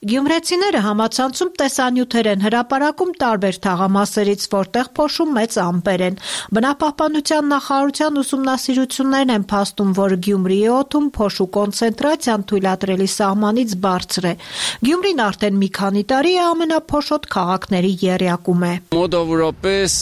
Գյումրեցիները համացանցում տեսանյութեր են հրապարակում տարբեր թաղամասերից, որտեղ փոշու մեծ ամպեր են։ Բնապահպանության նախարարության ուսումնասիրություններն են փաստում, որ Գյումրիի օդում փոշու կոնցենտրացիան թույլատրելի սահմանից բարձր է։ Գյումրին արդեն մի քանի տարի է ամենափոշոտ քաղաքների եռյակում է։ Մոտավորապես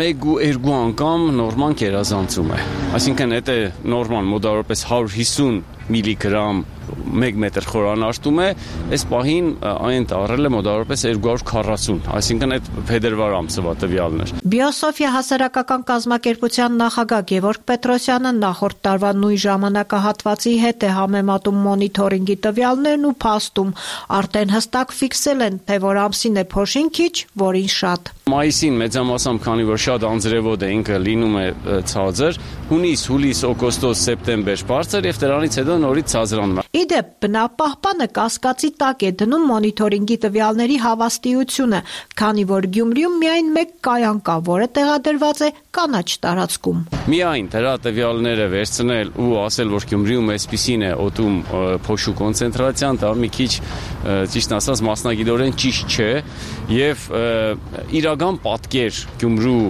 մեկ ու երկու անգամ նորման գերազանցում է։ Այսինքն դա նորման մոտավորապես հարյուր հիսուն միլիգրամ մեկ մետր խորանարդում է, այս պահին այն տարել է մոտավորապես երկու հարյուր քառասուն, այսինքն այդ փետրվար ամսվա տվյալն էր։ Բիոսոֆիա հասարակական կազմակերպության նախագահ Գևորգ Պետրոսյանը նախորդ տարվա նույն ժամանակահատվածի հետ է համեմատում մոնիթորինգի տվյալներն ու փաստում, արդեն հստակ ֆիքսել են, թե որ ամսին է փոշին քիչ, որին շատ։ Մայիսին մեծամասամբ, քանի որ շատ անձրևոտ է, ինքը լինում է ցածր, հունիս, հուլիս, օգոստոս, սեպտեմբեր բարձր եւ դրանից հետո նորից ցածրանում է։ Իդեպ բնապահպանը կասկածի տակ է դնում մոնիթորինգի տվյալների հավաստիությունը, քանի որ Գյումրիում միայն մեկ կայան կա, որը տեղադրված է կանաչ տարածքում։ Միայն դրա տվյալները վերցնել ու ասել, որ Գյումրիում այսպիսին է օդում փոշու կոնցենտրացիան, դա մի քիչ ճիշտ ասած մասնագիտորեն ճիշտ չէ եւ իրական պատկեր Գյումրու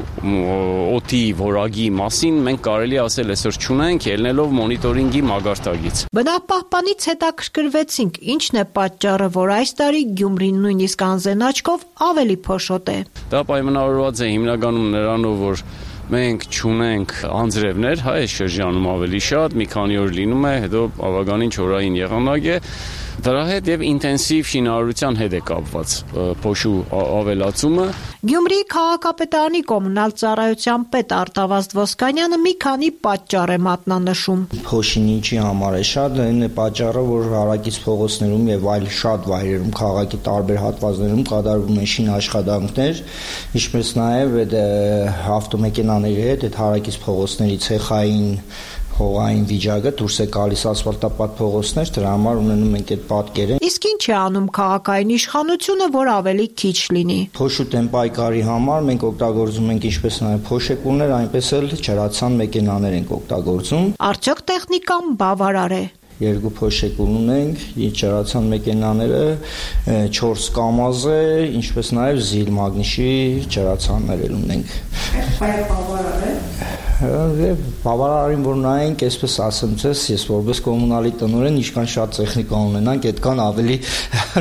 օդի որակի մասին մենք կարելի ասել այսօր չունենք, ելնելով մոնիթորինգի մագարտակից։ Բնապահպանից հետաքրքրվեցինք, ինչն է պատճառը, որ այս տարի Գյումրին նույնիսկ անզեն աչքով ավելի փոշոտ է։ Դա պայմանավորված է հիմնականում նրանով, որ մենք չունենք անձրևներ, հա, այս շրջանում ավելի շատ, մի քանի օր լինում է, հետո բավականին չորային եղանակ է։ Դրա հետ եւ ինտենսիվ շինարարության հետ է կապված փոշու ավելացումը։ Գյումրիի քաղաքապետարանի կոմունալ ծառայության պետ Արտավազդ Ոսկանյանը մի քանի պատճառ է մատնանշում։ Փոշին ինչի համար է շատ, այն է պատճառը, որ հարակից փողոցներում եւ այլ շատ վայրերում քաղաքի տարբեր հատվածներում կատարվում են շինաշխատանքներ, ինչպես նաեւ այդ ավտոմեքենաների հետ այդ հարակից փողոցների ցեխային հողային վիճակը դուրս է գալիս ասֆալտապատ փողոցներ, դրա համար ունենում ենք այդ պատկերը։ Իսկ ինչ է անում քաղաքային իշխանությունը, որ ավելի քիչ լինի։ Փոշու տեմպայկարի համար մենք օգտագործում ենք ինչպես նաև փոշեկուներ, այնպես էլ ջրացան մեքենաներ ենք օգտագործում։ Արդյոք տեխնիկան բավարար է։ Երկու փոշեկուն ունենք, ջրացան մեքենաները, չորս կամազ է, ինչպես նաև զիլ մագնիշի ջրացաններ ունենք։ Այդ բավարար է։ Բավարարին որ նայենք, այսպես ասեմ ձեզ, ես որպես կոմունալի տնօրեն, ինչքան շատ տեխնիկա ունենանք, այդքան ավելի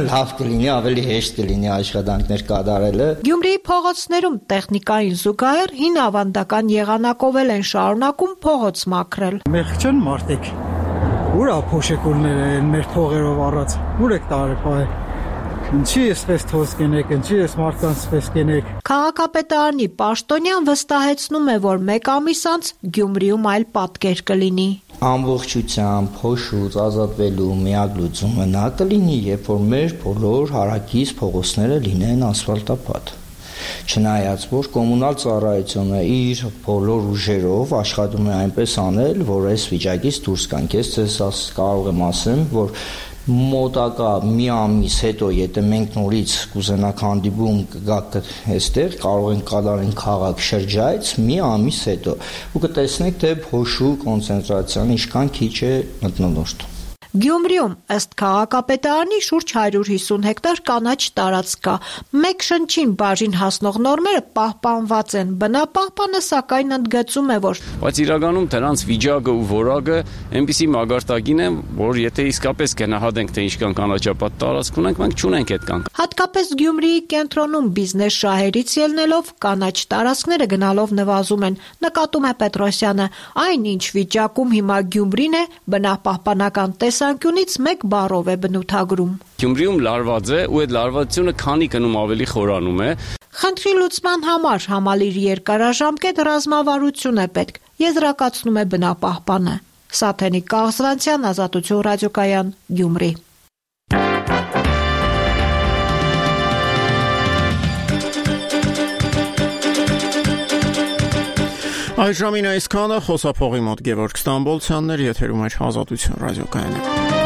լավ կլինի, ավելի հեշտ կլինի աշխատանքներ կատարելը։ Գյումրիի փողոցներում տեխնիկային զուգահեռ հին ավանդական եղանակով են շարունակում փողոց մաքրել։ Մեղք չեն մարդիկ։ Ուր է փոշեկուլները են մեր փողերով առած։ Ուր եք տարել։ Ինչի էսպես թոս կենեք, ինչի էս մարդկանց էսպես կենեք։ Քաղաքապետարանի պաշտոնյան վստահեցնում է, որ մեկ ամիս անց Գյումրիում այլ պատկեր կլինի։ ամբողջությամբ փոշուց ազատվելու միակ լուծումը նա կլինի, երբ որ մեր բոլոր հարակից փողոցները լինեն ասֆալտապատ։ Չնայած որ կոմունալ ծառայությունը իր բոլոր ուժերով աշխատում է այնպես անել, որ այս վիճակից դուրս գանք։ Ես ձեզ կարող եմ ասեմ, որ մոտակա մի ամիս հետո, եթե մենք նորից կուզենանք հանդիպում կգաք այստեղ, կարող ենք կատարենք քաղաք շրջայց մի ամիս հետո ու կտեսնեք, թե փոշու կոնցենտրացիան ինչքան քիչ է մթնոլորտ։ Գյումրիում ըստ քաղաքապետարանի շուրջ հարյուր հիսուն հեկտար կանաչ տարածք կա։ Մեկ շնչին բաժին հասնող նորմերը պահպանված են։ Բնապահպանը սակայն ընդգծում է, որ բայց իրականում դրանց վիճակը ու որակը այնպիսի մագարտակին է, որ եթե իսկապես գնահատենք, թե ինչքան կանաչապատ տարածք ունենք, մենք չունենք այդ կան։ Հատկապես Գյումրիի կենտրոնում բիզնես շահերից ելնելով կանաչ տարածքները գնալով նվազում են, նկատում է Պետրոսյանը։ Այն ինչ վիճակում հիմա Գյումրին է, բնապահպանական տեսանկյունից մեկ բառով է բնութագրում։ Գյումրիում լարված է ու այդ լարվածությունը քանի գնում ավելի խորանում է։ Խնդրի լուծման համար համալիր երկարաժամկետ ռազմավարություն է պետք, եզրակացնում է բնապահպանը։ Սաթենիկ Կաղզվանցյան, Ազատություն ռադիոկայան, Գյումրի։ Այժմին այսքանը խոսափողի մոտ Գևորգ Ստամբոլցյանն էր, եթերում էր Ազատություն ռադիոկայանը։